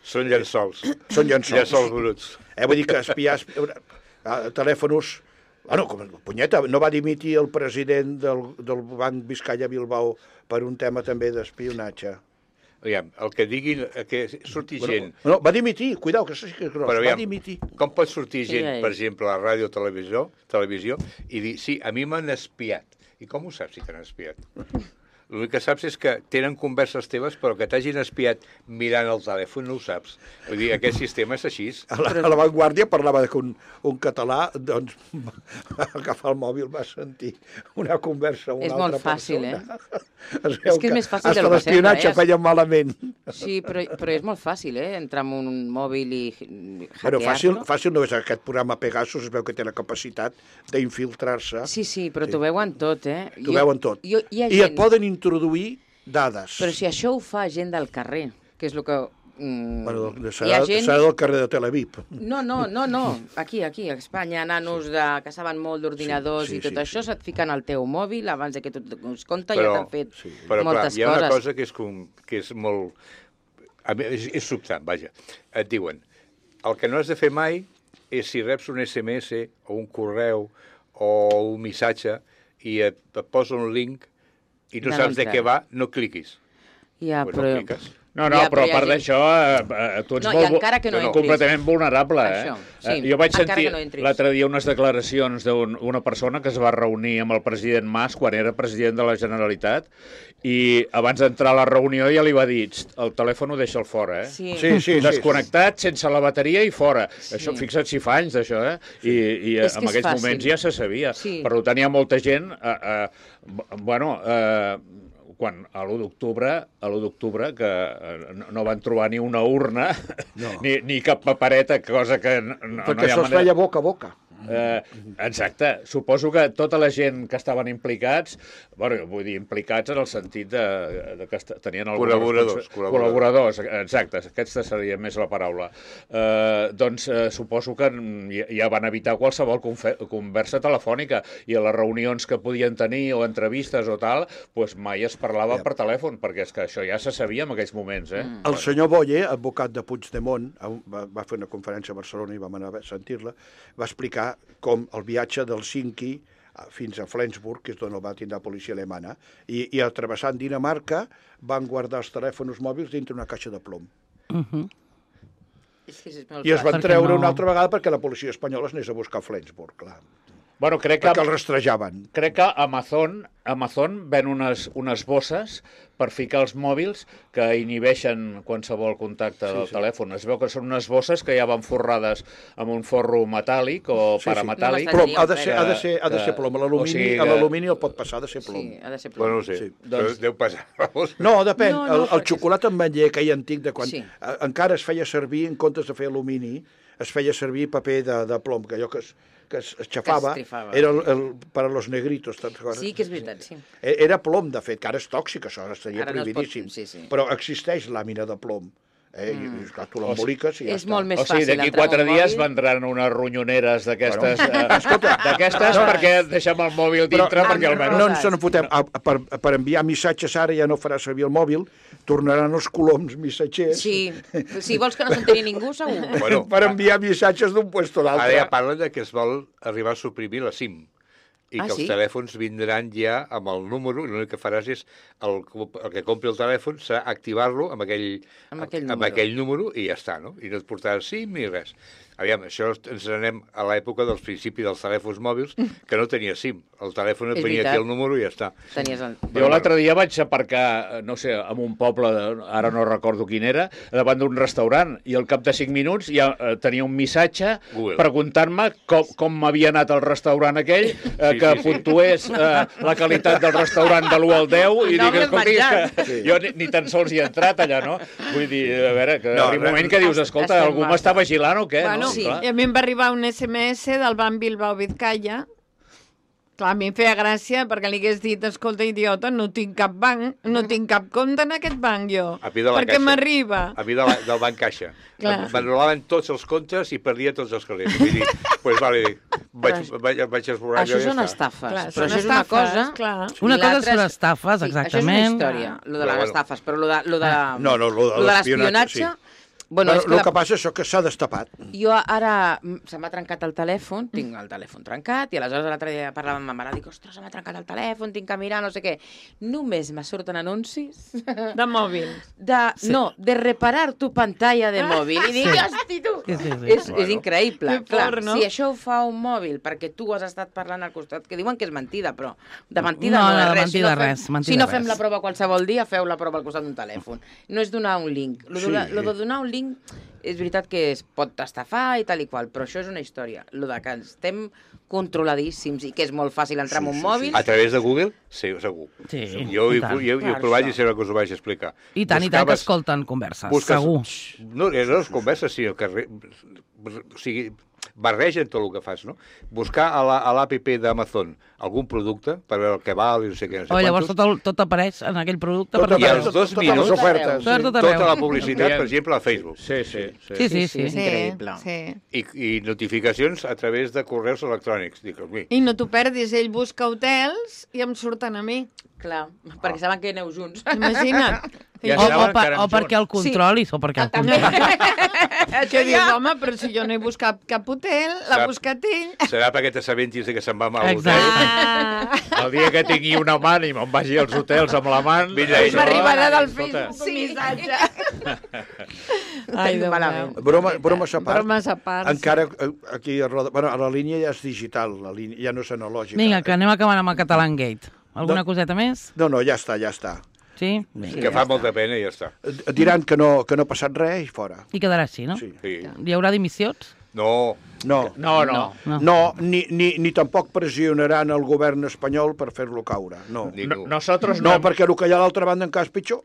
Són llençols. Són llençols. Llençols bruts. Eh, vull dir que espiar eh, telèfons... Bueno, com, punyeta, no va dimitir el president del, del Banc Vizcaya Bilbao per un tema també d'espionatge. Aviam, el que diguin, que surti gent... Bueno, no, va dimitir, cuidao, que això sí que és gros, Però va aviam, dimitir. com pot sortir Sí, gent, ja és. per exemple, a la ràdio o televisió, televisió i dir, sí, a mi m'han espiat. I com ho saps si t'han espiat? L'únic que saps és que tenen converses teves, però que t'hagin espiat mirant el telèfon no ho saps. Vull dir, aquest sistema és així. A la, a la Vanguardia parlava que un, un català doncs, va agafar el mòbil, va sentir una conversa amb una És altra molt fàcil, persona. Es veu És que és més fàcil hasta del que l'espionatge sembla, eh? feia malament. Sí, però, però és molt fàcil, eh? Entrar en un mòbil i Bueno, fàcil, hackear-lo. fàcil no és aquest programa Pegasus, es veu que té la capacitat d'infiltrar-se. Sí, sí, però t'ho veuen tot, eh? T'ho veuen tot. Jo, hi ha I gent, et poden introduir dades. Però si això ho fa gent del carrer, que és el que... Mm, Bueno, hi serà, ha gent... serà del carrer de Tel Aviv. No, no, no, no. Aquí, aquí, a Espanya, nanos de, que saben molt d'ordinadors Sí, sí, i tot sí, això, sí. se't fiquen al teu mòbil abans de que tu et donis compte Però- ja t'han fet sí. Però, clar, moltes hi ha una coses. cosa que és, com, que és molt... A mi, és, és sobtant, vaja. Et diuen, el que no has de fer mai és si reps un S M S o un correu o un missatge i et, et posa un link i no De saps de l'entrada. què va, no cliquis. Ja, Pues però... no cliques. No, no, Ja, però però hi a ha part gent- d'això, eh, eh, tu ets No, i molt, encara que no no, no, entris. completament vulnerable, eh? Això, sí, Eh, jo vaig encara sentir que no entris. l'altre dia unes declaracions d'una persona que es va reunir amb el president Mas quan era president de la Generalitat i abans d'entrar a la reunió ja li va dir, "Xt, el telèfon ho deixa'l fora, eh? Sí. Sí, sí, sí. Desconnectat, sense la bateria i fora. Sí. Això, fixa't si fa anys d'això, eh? I, i És que en és aquells fàcil. moments ja se sabia. Sí. Però tenia molta gent, eh, eh, bueno, eh, quan a l'u d'octubre, a l'u d'octubre, que eh, no, no van trobar ni una urna, No. ni, ni cap papereta, cosa que no, no, Perquè no hi ha això es manera... feia boca a boca. Eh, exacte. Suposo que tota la gent que estaven implicats, bueno, vull dir, implicats en el sentit de, de que est- tenien alguna Col·laboradors, responsa- col·laboradors. col·laboradors, exacte, aquesta seria més la paraula. Eh, doncs eh, suposo que ja, ja van evitar qualsevol confe- conversa telefònica i a les reunions que podien tenir o entrevistes o tal, doncs mai es parlava Ja. per telèfon, perquè és que això ja se sabia en aquells moments, eh? Mm. El senyor Boye, advocat de Puigdemont, va, va fer una conferència a Barcelona i vam anar a sentir-la, va explicar com el viatge del Cinqui fins a Flensburg, que és d'on el va tindre la policia alemana, i, i travessant Dinamarca van guardar els telèfons mòbils dintre una caixa de plom. Uh -huh. I es van Perquè treure no- una altra vegada perquè la policia espanyola es anés a buscar a Flensburg, clar. Bueno, crec que, Perquè el rastrejaven. crec que Amazon, Amazon ven unes, unes bosses per ficar els mòbils que inhibeixen qualsevol contacte Sí, del sí. telèfon. Es veu que són unes bosses que ja van forrades amb un forro metàl·lic o Sí, sí. parametàl·lic. No Plom, m'estranyaria, ha de ser, ha de que- ser, ha de ser plom. A l'alumini o sigui a que- l'alumini el pot passar, ha de ser plom. Sí, ha de ser Bueno, plom. no sé, Sí. però Doncs- deu passar. Vamos. No, depèn. No, no, el, el perquè- xocolata amb ametller aquell antic de quan Sí. eh, encara es feia servir, en comptes de fer alumini, es feia servir paper de, de plom, que allò que es, que es xafava, trifava. era el, el, per a los negritos. te'n recordes? Sí que és veritat, sí. E- Era plom, de fet, que ara és tòxic, això, ara estaria Ara no es pot- prohibidíssim. sí, sí. Però existeix làmina de plom. Eh? Mm. I, esclar, tu l'emboliques i ja És està. molt més O sigui, fàcil d'aquí entrar amb quatre un dies mòbil. vendran unes ronyoneres d'aquestes, Bueno, eh, escolta, d'aquestes no, perquè deixem el mòbil dintre Però- perquè almenys... No ens en fotem. A, a, per, per enviar missatges ara ja no farà servir el mòbil, tornaran els coloms missatgers Sí, si vols que no s'enteri ningú, segur. Bueno, per enviar missatges d'un puesto a Ara l'altre. ja parlen de que es vol arribar a suprimir la SIM i Ah, que sí? els telèfons vindran ja amb el número i l'únic que faràs és el, el que compri el telèfon serà activar-lo amb aquell, Amb aquell amb número. aquell número i ja està, no? I no et portaràs SIM ni res. Aviam, això ens anem a l'època dels principis dels telèfons mòbils que no tenia SIM. El telèfon et És venia veritat. aquí el número i ja està. Tenies el... Jo l'altre dia vaig aparcar, no sé, en un poble, ara no recordo quin era, davant d'un restaurant, i al cap de cinc minuts ja eh, tenia un missatge Google. preguntant-me com, com m'havia anat el restaurant aquell, eh, Sí, que sí, sí. puntués eh, la qualitat del restaurant de l'u al deu, i No dic, hagués escolti, és menjat. que Sí. jo ni, ni tan sols hi he entrat allà, no? Vull dir, a veure, que No, arriba un moment que dius, escolta, estem algú mal. m'està vigilant o què? Bueno, no? sí. Clar. I a mi em va arribar un esse eme esse del Banc Bilbao Vizcaya. Clar, a mi em feia gràcia perquè li hagués dit, escolta, idiota, no tinc cap banc, no tinc cap compte en aquest banc, jo. A mi de la perquè caixa. m'arriba. A mi de la, del Banc Caixa. Clar. M'anul·laven tots els comptes i perdia tots els calés. Vull dir, pues vale, vaig, vaig, vaig esborrar Això allò i ja són està. estafes. Clar, però són això és una estafes, cosa... clar. Una I cosa l'altra són estafes, Sí, exactament. això és una història, lo de Però les bueno. estafes, però lo de, lo de, No, no, lo de lo de l'espionatge, l'espionatge... sí. Bueno, Bueno, és que el la... que passa és això que s'ha destapat. Jo ara mm, se m'ha trencat el telèfon, tinc el telèfon trencat, i aleshores l'altre dia parlava amb ma mare, dic, ostres, se m'ha trencat el telèfon, tinc que mirar, no sé què. Només me surten anuncis De mòbil. de, sí. no, de reparar tu pantalla de mòbil. I dic, hosti, tu! Sí, sí, sí. És, Bueno. és increïble. Que Clar, fort, no? si això ho fa un mòbil perquè tu has estat parlant al costat, que diuen que és mentida, però de mentida No, no, no, és de res. mentida si no fem, res, mentida si no res. fem la prova qualsevol dia, feu la prova al costat d'un telèfon. No és donar un link. Lo, Sí. de, lo de donar un link és veritat que es pot estafar i tal i qual, però això és una història. Lo de que estem controladíssims i que és molt fàcil entrar en un mòbil... A través de Google? Sí, segur. Sí, Jo, i hi, tant. jo, jo he Clar, provat això. i sempre que us ho vaig explicar. I tant, i tant que Buscaves- escolten converses, busques- segur. No, no és conversa, sinó que... Re, o sigui, barregen tot el que fas, no? Buscar a la- a l'àpp d'Amazon algun producte per veure el que val i no sé què, no sé O llavors quantos, tot, el, tot apareix en aquell producte. Tot per I tot als arreu. dos totes minuts, les ofertes. Per tot tota arreu. la publicitat, per exemple, a Facebook. Sí, sí. sí. Sí, sí, sí. És increïble. Sí. I, I notificacions a través de correus electrònics. Dic, mi, I no t'ho perdis, ell busca hotels i em surten a mi. Clar, perquè saben que aneu junts. Imagina't. Ja O, o, saben que per, anem o perquè el junts. controlis, o perquè el També. controlis. Que dius, home, però si jo no he buscat cap hotel, l'ha Sap. buscat ell. serà perquè t'assabentis de que se'n va mal a Exacte. l'hotel. Ah, El dia que tingui una mà i me'n vagi als hotels amb la mà... Mira, això- m'arribarà del Escolta, Facebook un missatge. Ai, Ai, Déu malament. meu. Broma, bromes a part. Bromes a part. Encara eh, aquí a Roda... Bueno, a la línia ja és digital, la línia, ja no és analògica. Vinga, que anem acabant amb el Catalan Gate. Alguna No. coseta més? No, no, ja està, ja està. Sí? Vinga. Que fa molta pena i ja està. Eh, Diran que no, que no ha passat res i fora. I quedarà així, no? Sí. Sí. Hi haurà dimissions? No, No, No, no. No. no, ni, ni, ni tampoc pressionaran el govern espanyol per fer-lo caure. No, Ni- No- Nosotros no, no hem- perquè el que hi ha a l'altra banda encara és pitjor.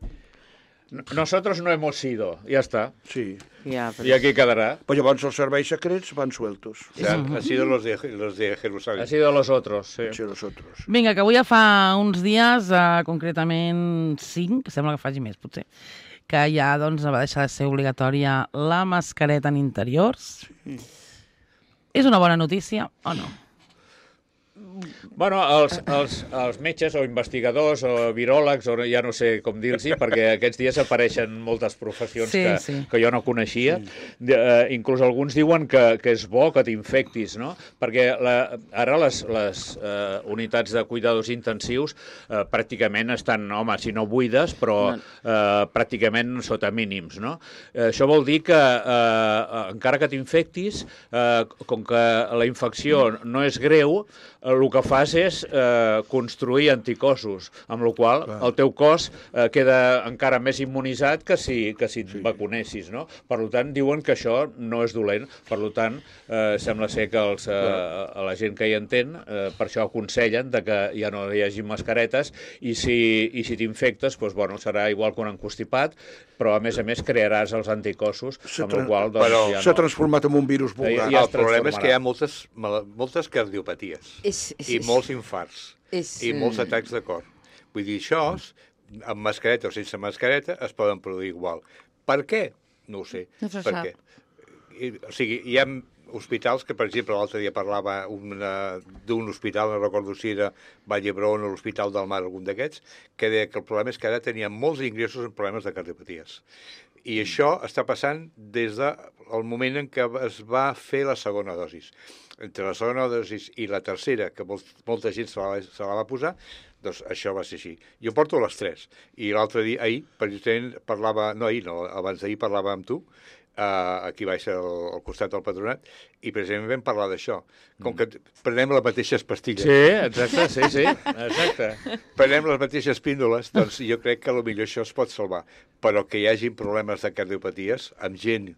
nosotros no hemos sido. Ya está. Sí. Ja, però... Y aquí quedará. Pues llavors els serveis secrets van sueltos. o sea, han sido los de, los de Jerusalén. Ha sido los otros, sí. Sí, nosotros. Vinga, que avui ja fa uns dies, eh, concretament cinc, sembla que faci més, potser, que ja doncs, va deixar de ser obligatòria la mascareta en interiors. Sí. És una bona notícia o no? Bueno, els, els, els metges o investigadors o viròlegs, o ja no sé com dir-los, perquè aquests dies apareixen moltes professions Sí, que, sí. que jo no coneixia. De, eh, inclús alguns diuen que, que és bo que t'infectis, no? Perquè la, ara les, les eh, unitats de cuidadors intensius eh, pràcticament estan, home, si no buides, però eh, pràcticament sota mínims, no? Eh, això vol dir que eh, encara que t'infectis, eh, com que la infecció no és greu, el que fas és eh, construir anticossos, amb la qual cosa el teu cos eh, queda encara més immunitzat que si, que si et sí. vacunessis, no? Per tant, diuen que això no és dolent. Per tant, eh, sembla ser que els, eh, a la gent que hi entén, eh, per això aconsellen de que ja no hi hagi mascaretes i si, i si t'infectes, doncs, bueno, serà igual que un encostipat, però a més a més crearàs els anticossos, amb la qual doncs, però ja s'ha no... transformat en un virus vulgar. Ja- ja El es problema és que hi ha transformarà. moltes, moltes cardiopaties És, és, i és, molts infarts és, i molts atacs de cor. Vull dir, això, amb mascareta o sense mascareta, es poden produir igual. Per què? No ho sé. No se per sap. què? I, o sigui, hi ha hospitals que, per exemple, l'altre dia parlava una- d'un hospital, no recordo si era Vall d'Hebron o l'Hospital del Mar, algun d'aquests, que deia que el problema és que ara tenien molts ingressos en problemes de cardiopaties. I això està passant des del moment en què es va fer la segona dosis. Entre la segona dosis i la tercera, que molt, molta gent se la, se la va posar, doncs això va ser així. Jo porto les tres. I l'altre dia, ahir, precisament parlava, no ahir, no, abans d'ahir parlava amb tu, uh, aquí baix al, al costat del patronat, i precisament vam parlar d'això. Com que prenem les mateixes pastilles, Sí, exacte, sí, sí, exacte. prenem les mateixes píndoles, doncs jo crec que potser això es pot salvar. Però que hi hagi problemes de cardiopaties amb gent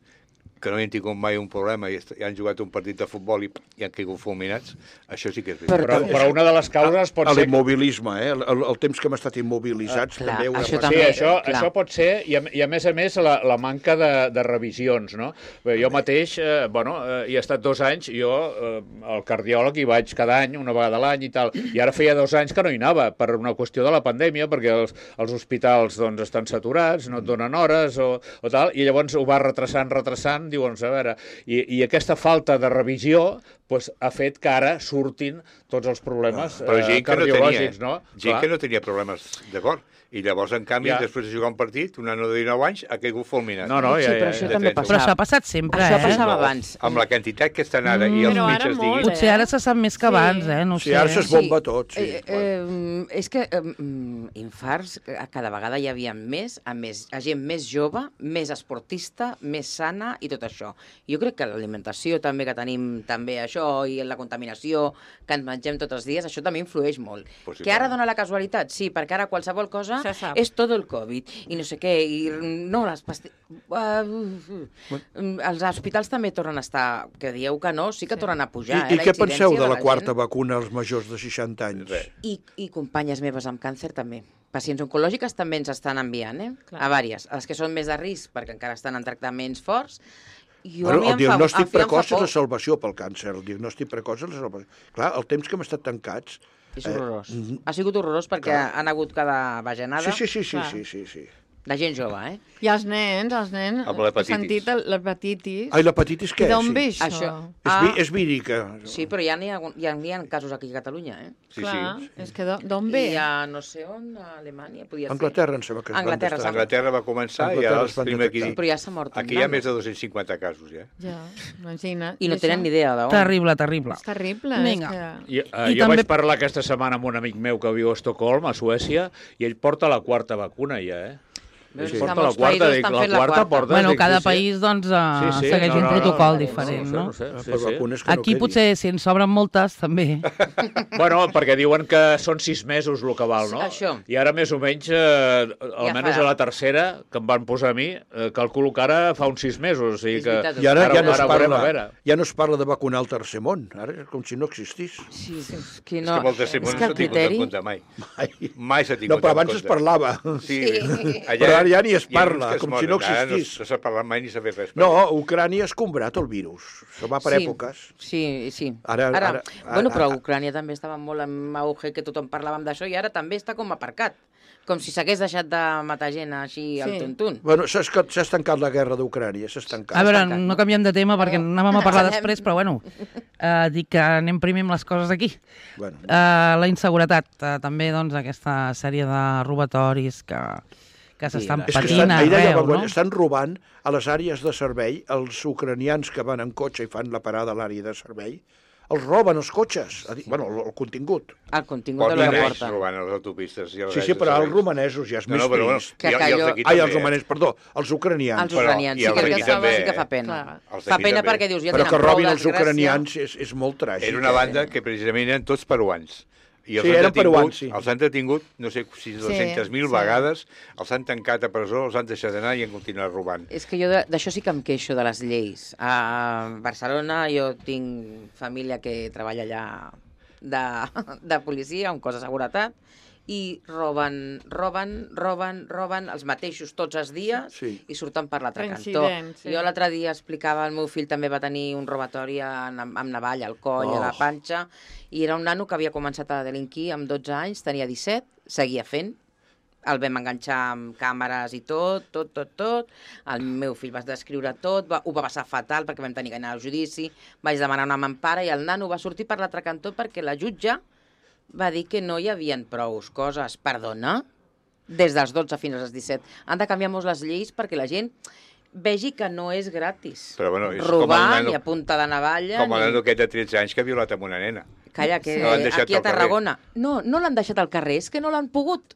que no hi han tingut mai un problema i, est- i han jugat un partit de futbol i, i han caigut fulminats, això sí que és veritat. Però, però una de les causes pot A ser... l'immobilisme, eh? El, el, el temps que hem estat immobilitzats Ah, clar, també ho això hem Sí, també, això, clar. això pot ser, i a, i a més a més la, la manca de, de revisions, no? Bé, jo mateix, eh, bueno, eh, hi he estat dos anys, jo eh, al cardiòleg hi vaig cada any, una vegada a l'any i tal, i ara feia dos anys que no hi anava, per una qüestió de la pandèmia, perquè els, els hospitals doncs, estan saturats, no et donen hores o, o tal, i llavors ho va retrasant, retrasant, diuen, a veure, i, i aquesta falta de revisió pues, ha fet que ara surtin tots els problemes Però eh, gent que no tenia, cardiològics, no? gent Clar. que no tenia problemes de cor. I llavors, en canvi, Ja. després de jugar un partit, un nano de dinou anys ha caigut fulminat. No, no, Sí, ja, però ja, això ja. també trenta. Però això ha passava. passat sempre, Això eh? passava No, abans. Amb la quantitat que estan ara i els Però ara metges molt, diguin... Potser ara se sap més que Sí. abans, eh? No ho Sí, sé. ara s'es bomba tot, sí. Eh, eh, és que eh, mm, infarts eh, cada vegada hi havia més, a més, a gent més jove, més esportista, més sana i tot això. Jo crec que l'alimentació també que tenim també això i la contaminació que ens mengem tots els dies, això també influeix molt. Possiblement. Que ara dona la casualitat? Sí, perquè ara qualsevol cosa Se sap. és tot el Covid i no sé què, i no, les pastilles... Uh, uh, els hospitals també tornen a estar, que dieu que no, sí que tornen a I, pujar. I eh, què incidència penseu de la gent. quarta vacuna als majors de seixanta anys? Res. I, I companyes meves amb càncer també. Pacients oncològiques també ens estan enviant, eh? Clar. A vàries. Els que són més de risc, perquè encara estan en tractaments forts. Jo, Bueno, a mi el em fa- diagnòstic em fa- em fa precoç és por. la salvació pel càncer. El diagnòstic precoç és la salvació. Clar, el temps que hem estat tancats... És horrorós. Eh, mm, Ha sigut horrorós perquè clar. han hagut cada bajanada Sí, sí, sí, sí, Clar. sí, sí, sí. de gent jove, eh? I els nens, els nens... Amb l'hepatitis. He sentit el- l'hepatitis. Ai, l'hepatitis què? I d'on Sí. ve això? Això. És, Ah. vi, és vírica. Sí, però ja n'hi ha, ja n'hi ha casos aquí a Catalunya, eh? Sí, Clar, sí. és que d'on- d'on ve? I a no sé on, a Alemanya, podia ser. Anglaterra, em sembla que es van Anglaterra, detectar. Anglaterra va començar i Anglaterra ara es els van primer aquí... Sí, però ja s'ha mort un Aquí hi ha nano. més de dos-cents cinquanta casos, ja. Ja, imagina't. I no això tenen ni idea d'on. Terrible, terrible. És terrible. Vinga. És que... I, uh, I jo també- vaig parlar aquesta setmana amb un amic meu que viu a Estocolm, a Suècia, i ell porta la quarta vacuna ja, eh? Veus Ell que porta la molts quarta, països dic, estan la fent la quarta quarta. porta... Bueno, dic, cada sí, sí. país doncs, eh, Sí, sí, segueix no, un no, no, protocol no, diferent, no? no sé, no sé, Per sí, sí. vacunes que Aquí no potser, si en sobren moltes, també. Bueno, perquè diuen que són sis mesos el que val, no? Això. I ara més o menys, eh, almenys fa- a la tercera, que em van posar a mi, eh, calculo que ara fa uns sis mesos. O sigui És que... veritat, I ara, Ara- ja, no es ara veurem, parla, a veure. ja no es parla de vacunar el tercer món. Ara és com si no existís. Sí, és que És no... que amb el tercer món és no que s'ha el tingut en criteri... compte mai. Ai. Mai s'ha tingut No, però en abans compte. es parlava. Sí, Però ara ja ni es hi ha parla, uns que es com moren. si no Ara existís. No, no s'ha parlat mai ni s'ha fet res. per No, això. Ucrània ha escombrat el virus. Això va per Sí. èpoques. Sí, sí. Ara- ara, ara- bueno, però ara- Ucrània també estava molt en auge, que tothom parlàvem d'això, i ara també està com aparcat. Com si s'hagués deixat de matar gent així al Sí. tuntun. Bueno, s'ha esca- s'ha estancat la guerra d'Ucrània, s'ha estancat. A veure, tancat, no no? canviem de tema perquè anàvem a parlar Anem. després, però bueno, eh, dic que anem primer amb les coses aquí. Bueno, Eh, la inseguretat, eh, també doncs aquesta sèrie de robatoris que, que s'estan Sí, és que patint estan, ahir deia, arreu, no? estan robant a les àrees de servei, els ucranians que van en cotxe i fan la parada a l'àrea de servei, els roben els cotxes, a dir, bueno, el, el contingut. El contingut de Porten la anys porta. robant a les autopistes. I a les Sí, sí, àrees de però els serveis. romanesos ja és No, més no, però bueno, trist. Que i, i els calló- d'aquí Ai, també. els romanesos, perdó, els ucranians. Els Però- ucranians, i sí, els perquè d'aquí això també. sí que fa pena. Clar. Els Fa d'aquí pena també. perquè dius, ja Però tenen que prou robin els desgràcia. ucranians és, és molt tràgic. Era una banda que precisament eren tots peruans. I els Sí, han eren detingut, peruans, sí. Els han detingut, no sé si dues-centes mil sí. vegades, els han tancat a presó, els han deixat anar i han continuat robant. És que jo de- d'això sí que em queixo, de les lleis. A Barcelona jo tinc família que treballa allà de, de policia, amb cos de seguretat, i roben, roben, roben, roben els mateixos tots els dies Sí. i surten per l'altre cantó. Reincidents, sí. Jo l'altre dia explicava, el meu fill també va tenir un robatori amb, amb navalla al coll, Oh. a la panxa, i era un nano que havia començat a delinquir amb dotze anys, tenia disset, seguia fent, el vam enganxar amb càmeres i tot, tot, tot, tot. El meu fill va descriure tot, va, ho va passar fatal perquè vam tenir que anar al judici, vaig demanar una mampara i el nano va sortir per l'altre cantó perquè la jutge va dir que no hi havia prou coses. Perdona? Des dels dotze fins als disset. Han de canviar molt les lleis perquè la gent vegi que no és gratis. Però, bueno, és com el robar nano- ni a punta de navalla. Com el ni... nano aquest de tretze anys que ha violat amb una nena. Calla, que No l'han deixat aquí a al carrer. Tarragona... No, no l'han deixat al carrer, és que no l'han pogut.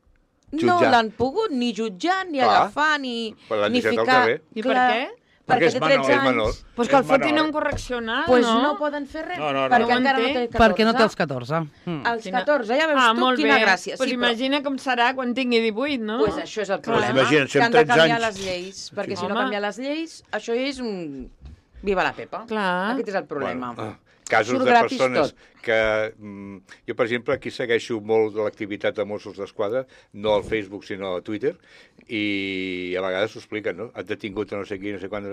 No Jutjar. l'han pogut ni jutjar, ni Clar. agafar, ni, Però l'han ni deixat al ficar... carrer. I per Clar, què? Perquè, Perquè és té menor, tretze és anys. menor. Pues que el És fotin menor. a un correccional, Pues no? no poden fer res, No, no, no. perquè No ho encara no entenc. té catorze. Perquè no té els catorze. Mm. Els Quina- catorze, ja veus ah, tu molt quina bé. gràcia. Pues sí, imagina com serà quan tingui divuit, no? Pues això és el Clar. problema, Imagina't, si que amb han de tretze canviar anys- les lleis, perquè si Home. no canviar les lleis, això és un... Viva la Pepa. Clar. Aquest és el problema. Bueno, ah, casos Surt de gratis persones tot. que... Mm, jo, per exemple, aquí segueixo molt de l'activitat de Mossos d'Esquadra, no al Facebook, sinó a Twitter, i a vegades s'ho expliquen, no? Han detingut a no sé qui, no sé quant,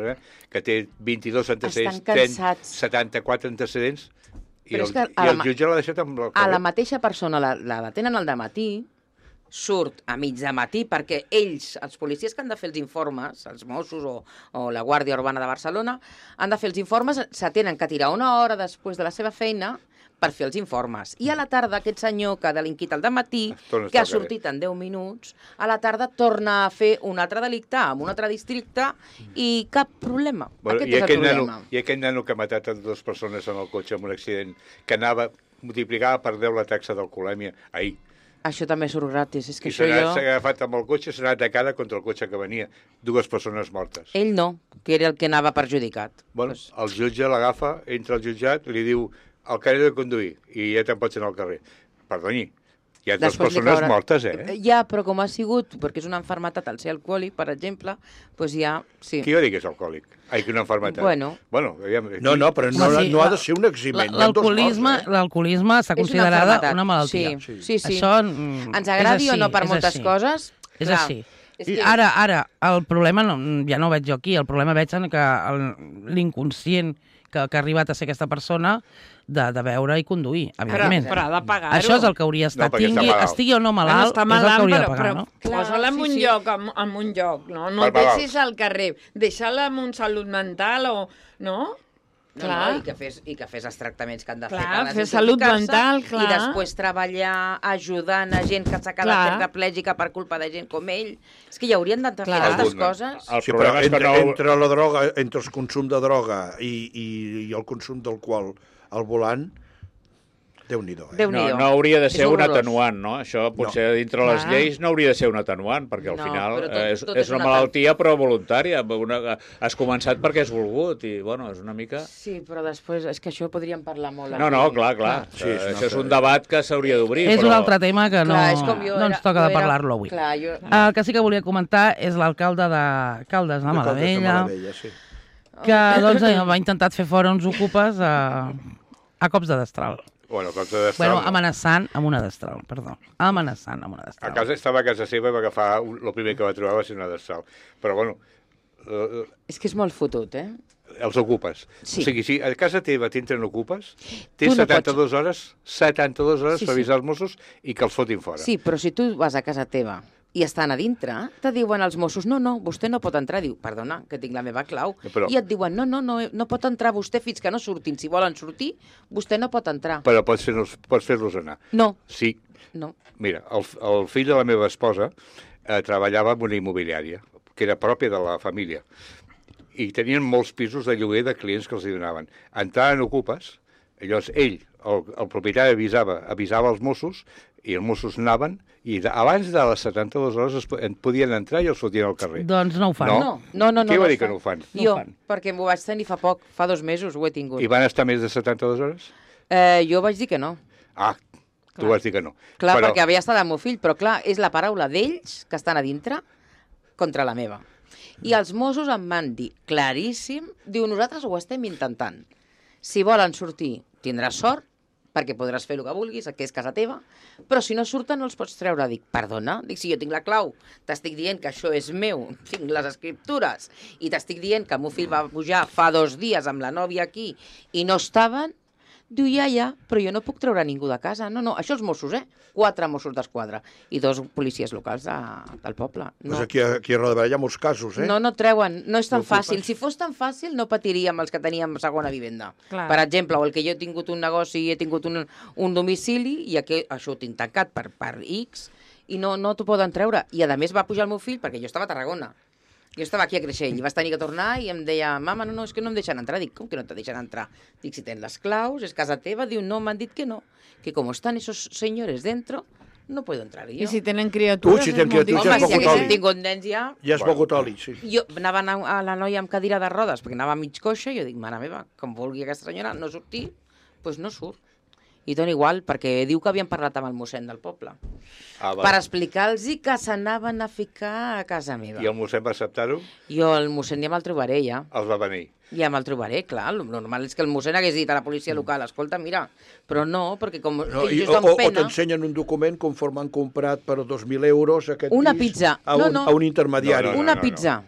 que té vint-i-dos antecedents, Estan cansats. setanta-quatre antecedents, i Però el, és que a i la el ma- jutge l'ha deixat amb el A la carrer. mateixa persona la, la detenen al dematí, surt a mig de matí perquè ells, els policies que han de fer els informes, els Mossos o, o la Guàrdia Urbana de Barcelona, han de fer els informes, se tenen que tirar una hora després de la seva feina per fer els informes. I a la tarda aquest senyor que ha delinquit al dematí, Torna a que estar ha al carrer. sortit en deu minuts, a la tarda torna a fer un altre delicte en un altre districte i cap problema. Bueno, Aquest i, és el aquell problema. nano, I aquell nano que ha matat a dues persones en el cotxe en un accident, que anava, multiplicava per deu la taxa d'alcoholèmia ahir. Això també surt gratis. És que I això s'ha jo... jo... agafat amb el cotxe, s'ha anat de cara contra el cotxe que venia. Dues persones mortes. Ell no, que era el que anava perjudicat. Bueno, el jutge l'agafa, entra al jutjat, li diu el carrer de conduir, i ja te'n pots anar al carrer. Perdoni, hi ha dues Després li persones caurà- mortes, eh? Ja, però com ha sigut, perquè és una enfermetat al ser alcohòlic, per exemple, doncs ja... Sí. Qui va dir que és alcohòlic? Ai, que una enfermetat. Bueno. Bueno, aviam, No, no, però no, Home, sí, no ha la- de ser un eximent. La- L'alcoholisme eh? l'alcoholisme està És una considerada malaltia. una malaltia. Sí, sí, sí. Això mm, Ens agradi és o no així, per és moltes així. coses... És clar, així. És I que... ara, ara, el problema no, ja no ho veig jo aquí, el problema veig en que el- l'inconscient que, que ha arribat a ser aquesta persona de, de beure i conduir, Però, evidentment. però ha de pagar-ho. Això és el que hauria estat. No, perquè està Tingui, malalt. estigui o no Bueno, malalt, està és el que malalt, hauria però, de pagar, però no? Clar, posa-la en sí, un sí. lloc, en, en un lloc, no? No Per el malalt. deixis al carrer, deixa-la amb un salut mental o... No? No, Clar. no, i, que fes, I que fes els tractaments que han de Clar, fer per fer salut desintoxicar-se, mental, clar. I després treballar ajudant a gent que s'ha quedat Clar. tetraplègica per culpa de gent com ell. És que hi haurien de fer Clar. aquestes Alguna. coses. El Sí, però problema és que entre, no... entre la droga, entre el consum de droga i, i, i el consum d'alcohol al volant, Déu-n'hi-do, eh? Déu No, Déu-n'hi-do. no hauria de És ser un horrorós. atenuant, no? Això potser dintre les Clar. lleis no hauria de ser un atenuant, perquè al No, final però tot- eh, és, tot és és una un malaltia però voluntària. Una, has començat perquè has volgut i, bueno, és una mica... Sí, però després és que això podríem parlar molt. No, no, aquí. clar, clar. Sí, Sí, és una això és un altra- debat que s'hauria d'obrir. És però... un altre tema que no, Clar, és com jo no era- ens toca jo de era- parlar-lo avui. Clar, jo... El que sí que volia comentar és l'alcalde de Caldes de De Caldes de Malavella, Malavella, sí. que doncs, eh, va intentar fer fora uns ocupes a, a cops de destral. Bueno, cops de destral, Bueno, no. amenaçant amb una destral, perdó. Amenaçant amb una A destral. casa estava a casa seva i va agafar... Un, el primer que va trobar va ser una destral. Però, bueno, eh, És que és molt fotut, eh? els ocupes. Sí. O sigui, si a casa teva t'entren ocupes, Tu tens no setanta-dues hhores, setanta-dues hores Sí, per sí. avisar els Mossos i que els fotin fora. Sí, però si tu vas a casa teva i estan a dintre, te diuen els Mossos, no, no, vostè no pot entrar. Diu, perdona, que tinc la meva clau. Però... I et diuen, no, no, no, no pot entrar vostè fins que no surtin. Si volen sortir, vostè no pot entrar. Però pots fer-los pots fer-los anar. No. Sí. No. Mira, el, el fill de la meva esposa eh, treballava en una immobiliària, que era pròpia de la família, i tenien molts pisos de lloguer de clients que els hi donaven. Entraven ocupes, llavors ell, el, el propietari, avisava, avisava els Mossos, i els Mossos anaven, i de, abans de les setanta-dues hores es, en podien entrar i els fotien al carrer. Doncs no ho fan. No? No, no, no. Qui no va dir fa. que no ho fan? Jo, No ho fan. perquè m'ho vaig tenir fa poc, fa dos mesos ho he tingut. I van estar més de setanta-dues hores? Eh, jo vaig dir que no. Ah, tu Clar. vas dir que no. Clar, Però... perquè havia estat el meu fill, però clar, és la paraula d'ells que estan a dintre contra la meva. I els Mossos em van dir, claríssim, diu, nosaltres ho estem intentant. Si volen sortir, tindràs sort, perquè podràs fer el que vulguis, que és casa teva, però si no surten no els pots treure. Dic, perdona? Dic, si jo tinc la clau, t'estic dient que això és meu, tinc les escriptures, i t'estic dient que el meu fill va pujar fa dos dies amb la nòvia aquí i no estaven, diu, ja, ja, però jo no puc treure ningú de casa. No, no, això els Mossos, eh? Quatre Mossos d'Esquadra i dos policies locals de, del poble. No. Pues aquí, aquí a Roda hi ha molts casos, eh? No, no treuen, no és tan No fàcil. ocupes. Si fos tan fàcil, no patiríem els que teníem segona vivenda. Clar. Per exemple, o el que jo he tingut un negoci i he tingut un, un domicili i aquí, això ho tinc tancat per, per X i no, no t'ho poden treure. I a més va pujar el meu fill perquè jo estava a Tarragona. Jo estava aquí a Creixell i vas tenir que tornar i em deia, mama, no, no, és que no em deixen entrar. Dic, com que no te deixen entrar? Dic, si tens les claus, és casa teva. Diu, no, m'han dit que no, que com estan esos señores dentro, no puedo entrar jo. I si tenen criatures... Ui, si és tenen molt criatures, Home, ja si és poc haguéssim oli. tingut nens ja... Ja has begut oli, sí. Jo anava a a la noia amb cadira de rodes, perquè anava a mig coixa, i jo dic, mare meva, com vulgui aquesta senyora no sortir, doncs pues no surt. I dona igual, perquè diu que havien parlat amb el mossèn del poble. Ah, Per explicar-los que s'anaven a ficar a casa meva. I el mossèn va acceptar-ho? Jo el mossèn ja me'l trobaré, ja. Els va venir. Ja me'l trobaré, clar. El normal és que el mossèn hagués dit a la policia local, escolta, mira, però no, perquè com No, ells i, es o dan o, o pena... t'ensenyen un document conforme han comprat per dos mil euros aquest Una pis pizza. a No, un, no. a un intermediari. No, no, Una no, pizza.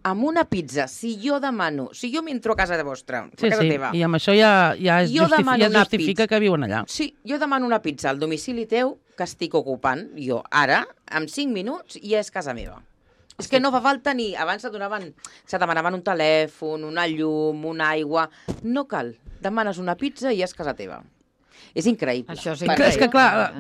Amb una pizza, si jo demano, si jo m'entro a casa de vostra, a Sí, casa sí, teva, i amb això ja, ja, es, Jo justifi demano ja es una justifica pizza. que viuen allà. sí, jo demano una pizza al domicili teu que estic ocupant, jo ara, en cinc minuts, ja és casa meva. És que no fa falta ni... Abans se donaven, se demanaven un telèfon, una llum, una aigua... No cal. Demanes una pizza i ja és casa teva. És increïble. Això és Per Clar, és que, mi. clar,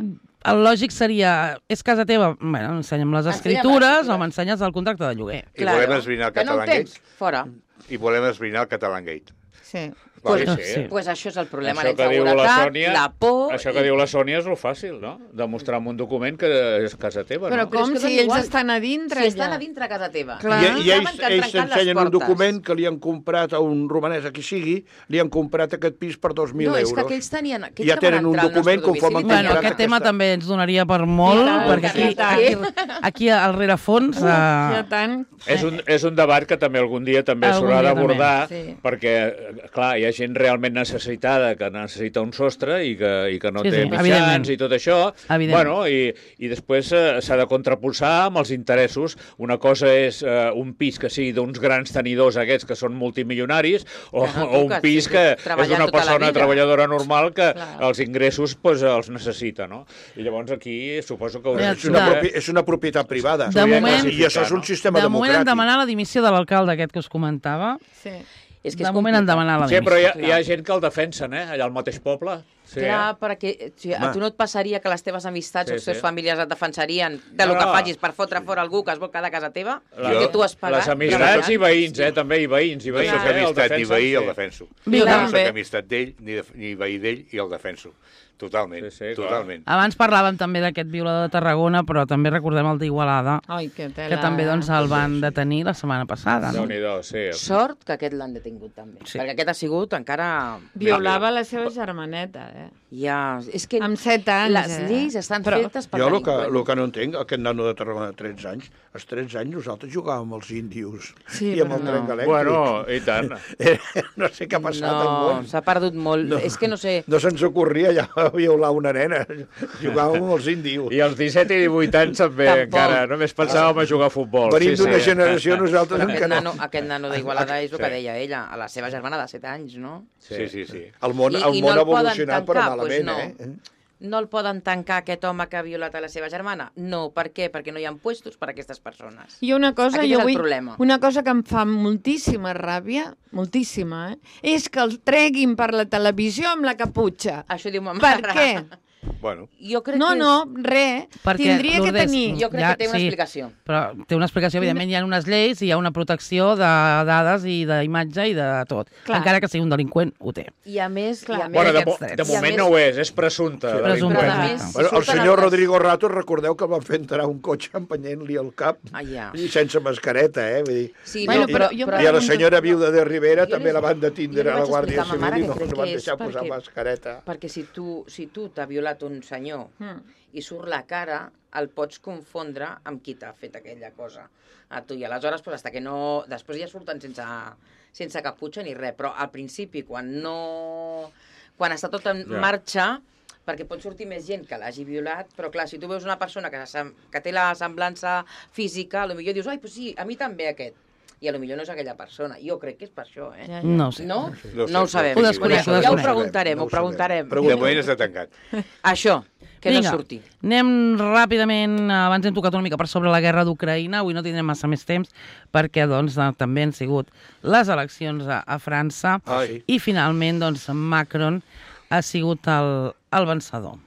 el lògic seria, és casa teva, bueno, ensenya'm les Ensenya escritures les escritures. o m'ensenyes el contracte de lloguer. I volem esbrinar el Que no ho Catalangate. tens? Fora. I volem esbrinar el Catalangate. Sí. Pues, Vale, sí. sí. pues això és el problema, Això la que diu la inseguretat, Sònia, la por... això que diu la Sònia és el fàcil, no? Demostrar amb un document que és casa teva, Però no? Però com és que si dona ells igual. estan a dintre, Si estan ja. a dintre a casa teva. Clar. I, Ah. i ells, Saben que han ells trencat les s'ensenyen un portes. document que li han comprat a un romanès, a qui sigui, li han comprat aquest pis per dos mil No, és euros. que aquells tenien... Aquells Ja que tenen van un entrar al document nostre conforme domicili han Bueno, comprat aquest tema aquesta- també ens donaria per molt, I tant, perquè i aquí, tant. aquí, aquí al rerefons... Ja Uh, tant. És un, és un debat que també algun dia també Algun s'haurà dia d'abordar, també, sí. perquè, clar, hi ha gent realment necessitada que necessita un sostre i que, i que no Sí, té sí, evidentment. mitjans i tot això, Evident. bueno, i, i després eh, s'ha de contraposar amb els interessos. Una cosa és eh, un pis que sigui d'uns grans tenidors aquests que són multimilionaris, o, Que no o un toques, pis sí, que treballant és d'una tota la persona vida. treballadora normal que Clar. els ingressos pues, els necessita, no? I llavors aquí suposo que... Ja, És una, de- propi, és una propietat privada. De moment- I això és un sistema de moment han democràtic. demanat la dimissió de l'alcalde aquest que us comentava. Sí. És que De és moment han complicat. demanat la Sí, dimissió. però hi ha, hi ha gent que el defensen, eh? Allà al mateix poble. Sí, Clar, eh? perquè sí, a Home. tu no et passaria que les teves amistats Sí, o els teus sí. familiars et defensarien de lo No, que no. facis per fotre fora algú que es vol quedar a casa teva, La- que tu has pagat. Les amistats i veïns, eh? També, i veïns, i No veïns. sóc eh? El amistat ni defensen, veí, el sí. defenso. Vinga. No També. sóc amistat d'ell, ni, de, ni veí d'ell, i el defenso. Totalment, Sí, sí, clar. totalment. Abans parlàvem també d'aquest violador de Tarragona, però també recordem el d'Igualada, Ai, que tela. que també doncs, el van detenir la setmana passada. No? Déu-n'hi-do, sí. Sort que aquest l'han detingut també, Sí. perquè aquest ha sigut encara... Violava la seva germaneta, eh? Ja, és que Amb set anys, les eh? lleis estan Però- fetes per Jo el que, delinqüents. el que no entenc, aquest nano de Tarragona de tretze anys, als tretze anys nosaltres jugàvem amb els índios Sí, i amb però el no. tren elèctric. Bueno, i tant. Eh, no sé què ha passat al No, món. s'ha perdut molt. No. És que no sé... No se'ns ocorria ja violar una nena. Jugàvem amb els índios. I als disset i divuit anys també Tampoc. encara. Només pensàvem a jugar a futbol. Venim sí, d'una sí. generació nosaltres en Aquest què no. nano, aquest nano d'Igualada és el que Sí. deia ella, a la seva germana de set anys, no? Sí, sí, sí. El món, I- el i món no ha el poden evolucionat però tancar, malament, doncs eh? no el poden tancar aquest home que ha violat a la seva germana? No, per què? Perquè no hi ha puestos per a aquestes persones. I una cosa, Aquest jo és el vull, problema. una cosa que em fa moltíssima ràbia, moltíssima, eh? és que el treguin per la televisió amb la caputxa. Això diu ma Per mare. què? Bueno, Jo crec No, que és... no, res. Perquè, Tindria que Lourdes, tenir... Jo crec Ja, que té una sí. explicació. Però té una explicació, evidentment, hi ha unes lleis, hi ha una protecció de dades i d'imatge i de tot. Clar. Encara que sigui un delinqüent, ho té. I a més... Clar. I a més Bueno, de, mo aquests drets. de I a moment més- no ho és, és presumpte. Sí, de presumpte. delinqüent. Però a més, si Bueno, el surten senyor altres- Rodrigo Rato, recordeu que el van fer entrar a un cotxe empenyent-li el cap Ah, ja. i sense mascareta, eh? Vull dir, Sí, Bueno, no, però però, jo però, I a la pregunto- senyora viuda de Rivera Jo també li- la van jo detindre li a la vaig Guàrdia explicar a ma Civil mare i que no crec no van que és deixar posar perquè- mascareta. perquè si tu si tu t'ha violat un senyor i surt la cara, el pots confondre amb qui t'ha fet aquella cosa a tu. I aleshores, pues, hasta que no... Després ja surten sense, sense caputxa ni res, però al principi, quan no... Quan està tot en Ja. marxa, perquè pot sortir més gent que l'hagi violat, però clar, si tu veus una persona que, sem- que té la semblança física, potser dius, ai, pues sí, a mi també aquest. I a lo millor no és aquella persona. Jo crec que és per això, eh? Ja, ja. No ho sé. No? No ho sé, No ho no sabem. Ho desconec, ho Ja ho desconec. preguntarem, No ho ho sabem. preguntarem. de moment està tancat. Això, que Vinga, no surti. anem ràpidament, abans hem tocat una mica per sobre la guerra d'Ucraïna, avui no tindrem massa més temps, perquè doncs, eh, també han sigut les eleccions a, a França, Ah, sí. i finalment doncs, Macron ha sigut el, el vencedor.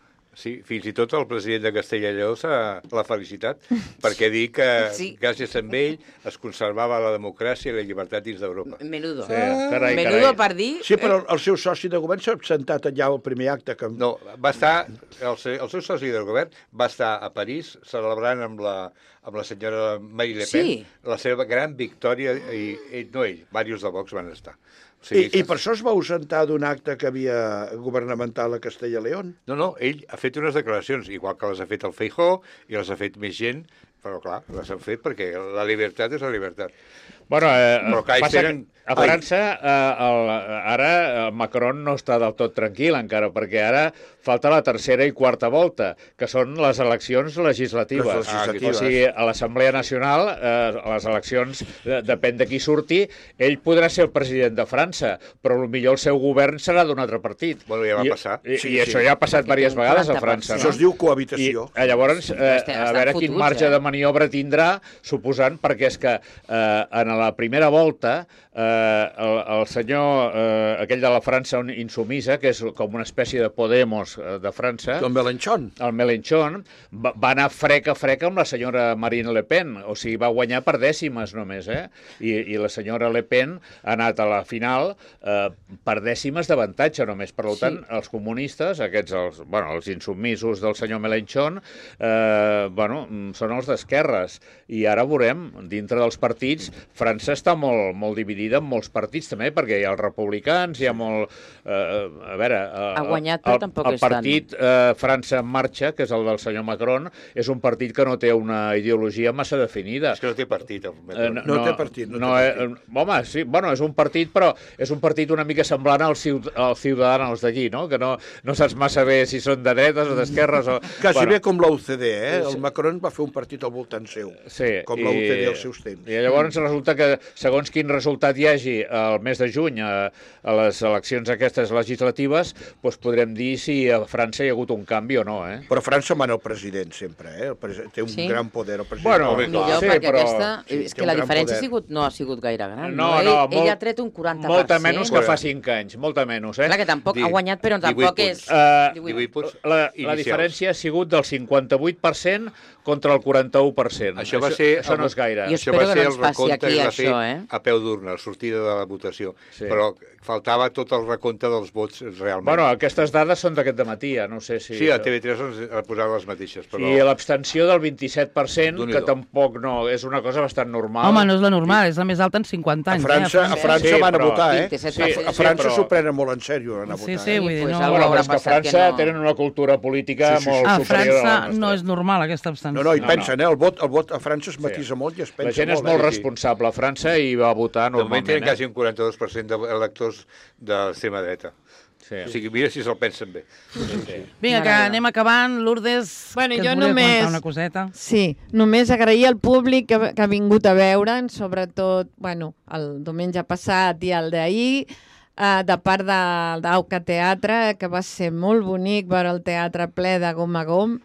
Sí, fins i tot el president de Castella i Lleó s'ha l'ha felicitat perquè dir que Sí. gràcies a ell es conservava la democràcia i la llibertat dins d'Europa. Menudo. Sí, carai, Menudo carai. per dir... Sí, però el, el seu soci de govern s'ha absentat allà al primer acte. Que... No, va estar, el, se- el seu soci del govern va estar a París celebrant amb la, amb la senyora Marine Le Pen Sí. la seva gran victòria, i, i no ell, diversos de Vox van estar. O I, I per això es va ausentar d'un acte que havia governamental a Castella i León. No, no, ell ha fet unes declaracions, igual que les ha fet el Feijóo i les ha fet més gent, però clar, les han fet perquè la llibertat és la llibertat. Bueno, eh, Però que ells passa tenen- que a França eh, el, ara el Macron no està del tot tranquil encara, perquè ara falta la tercera i quarta volta, que són les eleccions legislatives. Les legislatives. O sigui, a l'Assemblea Nacional, eh, a les eleccions, eh, depèn de qui surti, ell podrà ser el president de França, però potser el seu govern serà d'un altre partit. Bueno, ja va I, passar. I, Sí, i sí. això ja ha passat Perquè diverses té un vegades a quaranta per França. cent. Això es diu cohabitació. I, eh, llavors, eh, Estan- a veure estan quin fotuts, marge eh? de maniobra tindrà, suposant, perquè és que eh, en la primera volta eh, el, el senyor, eh, aquell de la França insumisa, que és com una espècie de Podemos eh, de França, Don Melanchón. el Mélenchon, va, va anar freca freca amb la senyora Marine Le Pen, o sigui, va guanyar per dècimes només, eh? I, i la senyora Le Pen ha anat a la final eh, per dècimes d'avantatge només. Per tant, Sí. els comunistes, aquests, els, bueno, els insubmisos del senyor Mélenchon, eh, bueno, mm, són els d'esquerres. I ara veurem, dintre dels partits, França està molt, molt dividida en molts partits també, perquè hi ha els republicans, hi ha molt... Eh, a veure... Eh, Ha guanyat, però el, tampoc el és tant. partit eh, França en marxa, que és el del senyor Macron, és un partit que no té una ideologia massa definida. És que no té partit. El Eh, Macron. No té partit, no té no, partit. Eh, home, sí, bueno, és un partit, però és un partit una mica semblant als, ciut als ciutadans d'allí, no? Que no, no saps massa bé si són de dretes o d'esquerres o... Quasi bueno, bé com l'U C D, eh? El Macron va fer un partit al voltant seu, Sí, com l'U C D als seus temps. I llavors resulta que, segons quin resultat hi hagi el mes de juny a, a les eleccions aquestes legislatives, doncs podrem dir si a França hi ha hagut un canvi o no, eh? Però a França mana el president sempre, eh? El pres té un Sí. gran poder el president. Bueno, Home, Millor, sí, perquè però- aquesta... sí, és té que un la gran diferència ha poder. sigut, no ha sigut gaire gran. No, ell, no, ell molt- ha tret un quaranta per cent. Molta menys que fa Bueno. cinc anys, molta menys, eh? Clar que tampoc Di- ha guanyat, però divuit tampoc punts. és... Eh, divuit. divuit punts La, la inicials. diferència ha sigut del cinquanta-vuit per cent contra el quaranta-u per cent. Això va ser... Això no és gaire. Jo Això espero va que ser no el ens passi recompte aquí, que va fer això, eh? a peu d'urna, la sortida de la votació. Sí. Però faltava tot el recompte dels vots realment. Bueno, aquestes dades són d'aquest dematí, ja no sé si... sí, a T V tres ens ha posat les mateixes, però... I l'abstenció del vint-i-set per cent, Déu-n'hi-do. que tampoc no... És una cosa bastant normal. Home, no és la normal, és la més alta en cinquanta A anys. França, a eh? França Sí, van a però- votar, eh? vint-i-set Sí, per cent. A França però- s'ho prenen molt en sèrio, anar a Sí, votar. sí, vull dir, pues no... algú Bueno, haurà però és que a passat que França no. tenen una cultura política Sí, sí, sí. molt A superior a la França nostra. no és normal, aquesta abstenció. No, no, hi No, pensen, no. eh? El vot, el vot a França es matisa molt i es pensa La gent és molt. molt eh? responsable a França i va votar De moment normalment. tenen eh? quasi un quaranta-dos per cent d'electors de l'extrema dreta. Sí. O sigui, mira si se'l pensen bé. Sí, sí. Vinga, que Mare anem acabant. Lourdes, Bueno, que jo et volia només- comentar una coseta. Sí, només agrair al públic que, que ha vingut a veure'ns, sobretot, bueno, el diumenge passat i el d'ahir, uh, de part de d'Auca Teatre, que va ser molt bonic veure el teatre ple de gom a gom,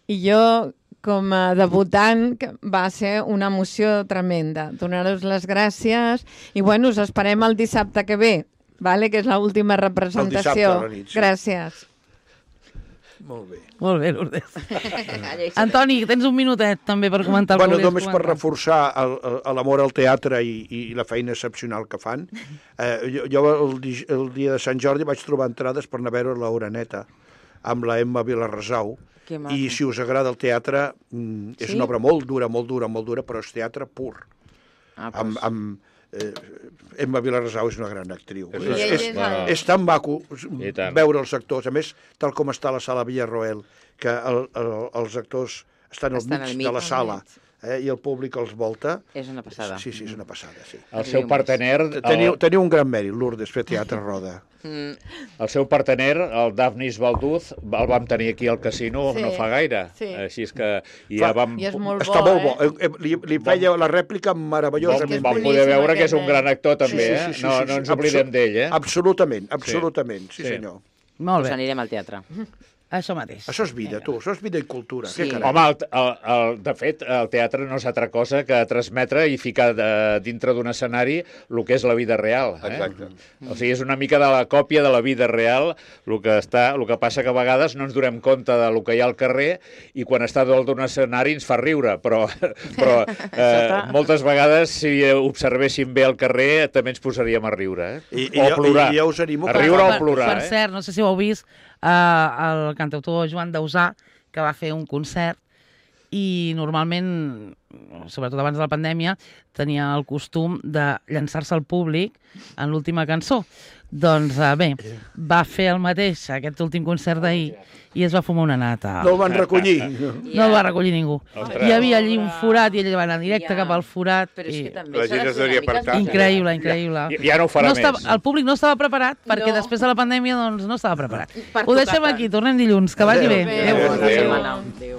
i jo, com a debutant, que va ser una emoció tremenda. Donar-vos les gràcies i, bueno, us esperem el dissabte que ve, vale? Que és l'última representació. El dissabte a la nit, sí. Gràcies. Molt bé. Molt bé, Lourdes. Antoni, tens un minutet també per comentar el bueno, que volies només per comentar. reforçar el- el- l'amor al teatre i, i la feina excepcional que fan. Eh, jo jo el, di- el dia de Sant Jordi vaig trobar entrades per anar a veure l'Oreneta amb la Emma Vilarrasau. Que maco. I si us agrada el teatre, mm, és Sí? una obra molt dura, molt dura, molt dura, però és teatre pur. Ah, Amb, doncs, amb, eh, Emma Vilarrasau és una gran actriu. És- I ell és, és el... és tan maco I tant. veure els actors. A més, tal com està la sala Villarroel, que el, el, els actors estan al Estan mig, al mig. de la Al sala mig. eh, i el públic els volta. és una passada. Sí, sí, és una passada, sí. El seu partener, Teniu, el, teniu un gran mèrit, Lourdes, fer teatre roda. Mm, el seu partener, el Daphnis Balduz, el vam tenir aquí al casino Sí, no fa gaire. sí. Així és que i Fa- ja vam, I és molt Està bo, molt bo. eh? Eh, eh, Li, li feia la rèplica vam, meravellosament. és vam boníssim, poder veure que és un aquest gran nen. actor també, Sí, eh? sí, sí, no, sí, no sí. ens oblidem Absol- d'ell, eh? Absolutament, absolutament, sí, Sí. senyor. Molt doncs bé, anirem al teatre. això mateix. Això és vida, tu, això és vida i cultura. Sí. Què carai? Home, el, el, el, de fet, el teatre no és altra cosa que transmetre i ficar de, dintre d'un escenari el que és la vida real. Eh? Exacte. O sigui, és una mica de la còpia de la vida real, el que, està, el que passa que a vegades no ens donem compte del que hi ha al carrer i quan està dalt d'un escenari ens fa riure, però, però eh, moltes vegades si observéssim bé el carrer també ens posaríem a riure. Eh? I- i o a jo- plorar. i jo us animo a que- riure o per, a plorar. Per eh? cert, no sé si ho heu vist, eh, el cantautor Joan Dausà, que va fer un concert i normalment, sobretot abans de la pandèmia, tenia el costum de llançar-se al públic en l'última cançó. Doncs eh, bé, va fer el mateix aquest últim concert d'ahir i es va fumar una nata. No el van recollir. No el va recollir ningú. Ostres. Hi havia allí un forat i ell va anar directe Ja. cap al forat. Però és i... que també La s'ha gent de es ser una devia mica apartar. esbiaixat. Increïble, increïble. Ja, ja no ho farà no més. estava, el públic no estava preparat perquè No. després de la pandèmia doncs, no estava preparat. Per Ho deixem tocar aquí, tornem dilluns, que vagi Adéu. bé. Adéu. Adéu. Bona Adéu. setmana. Adéu.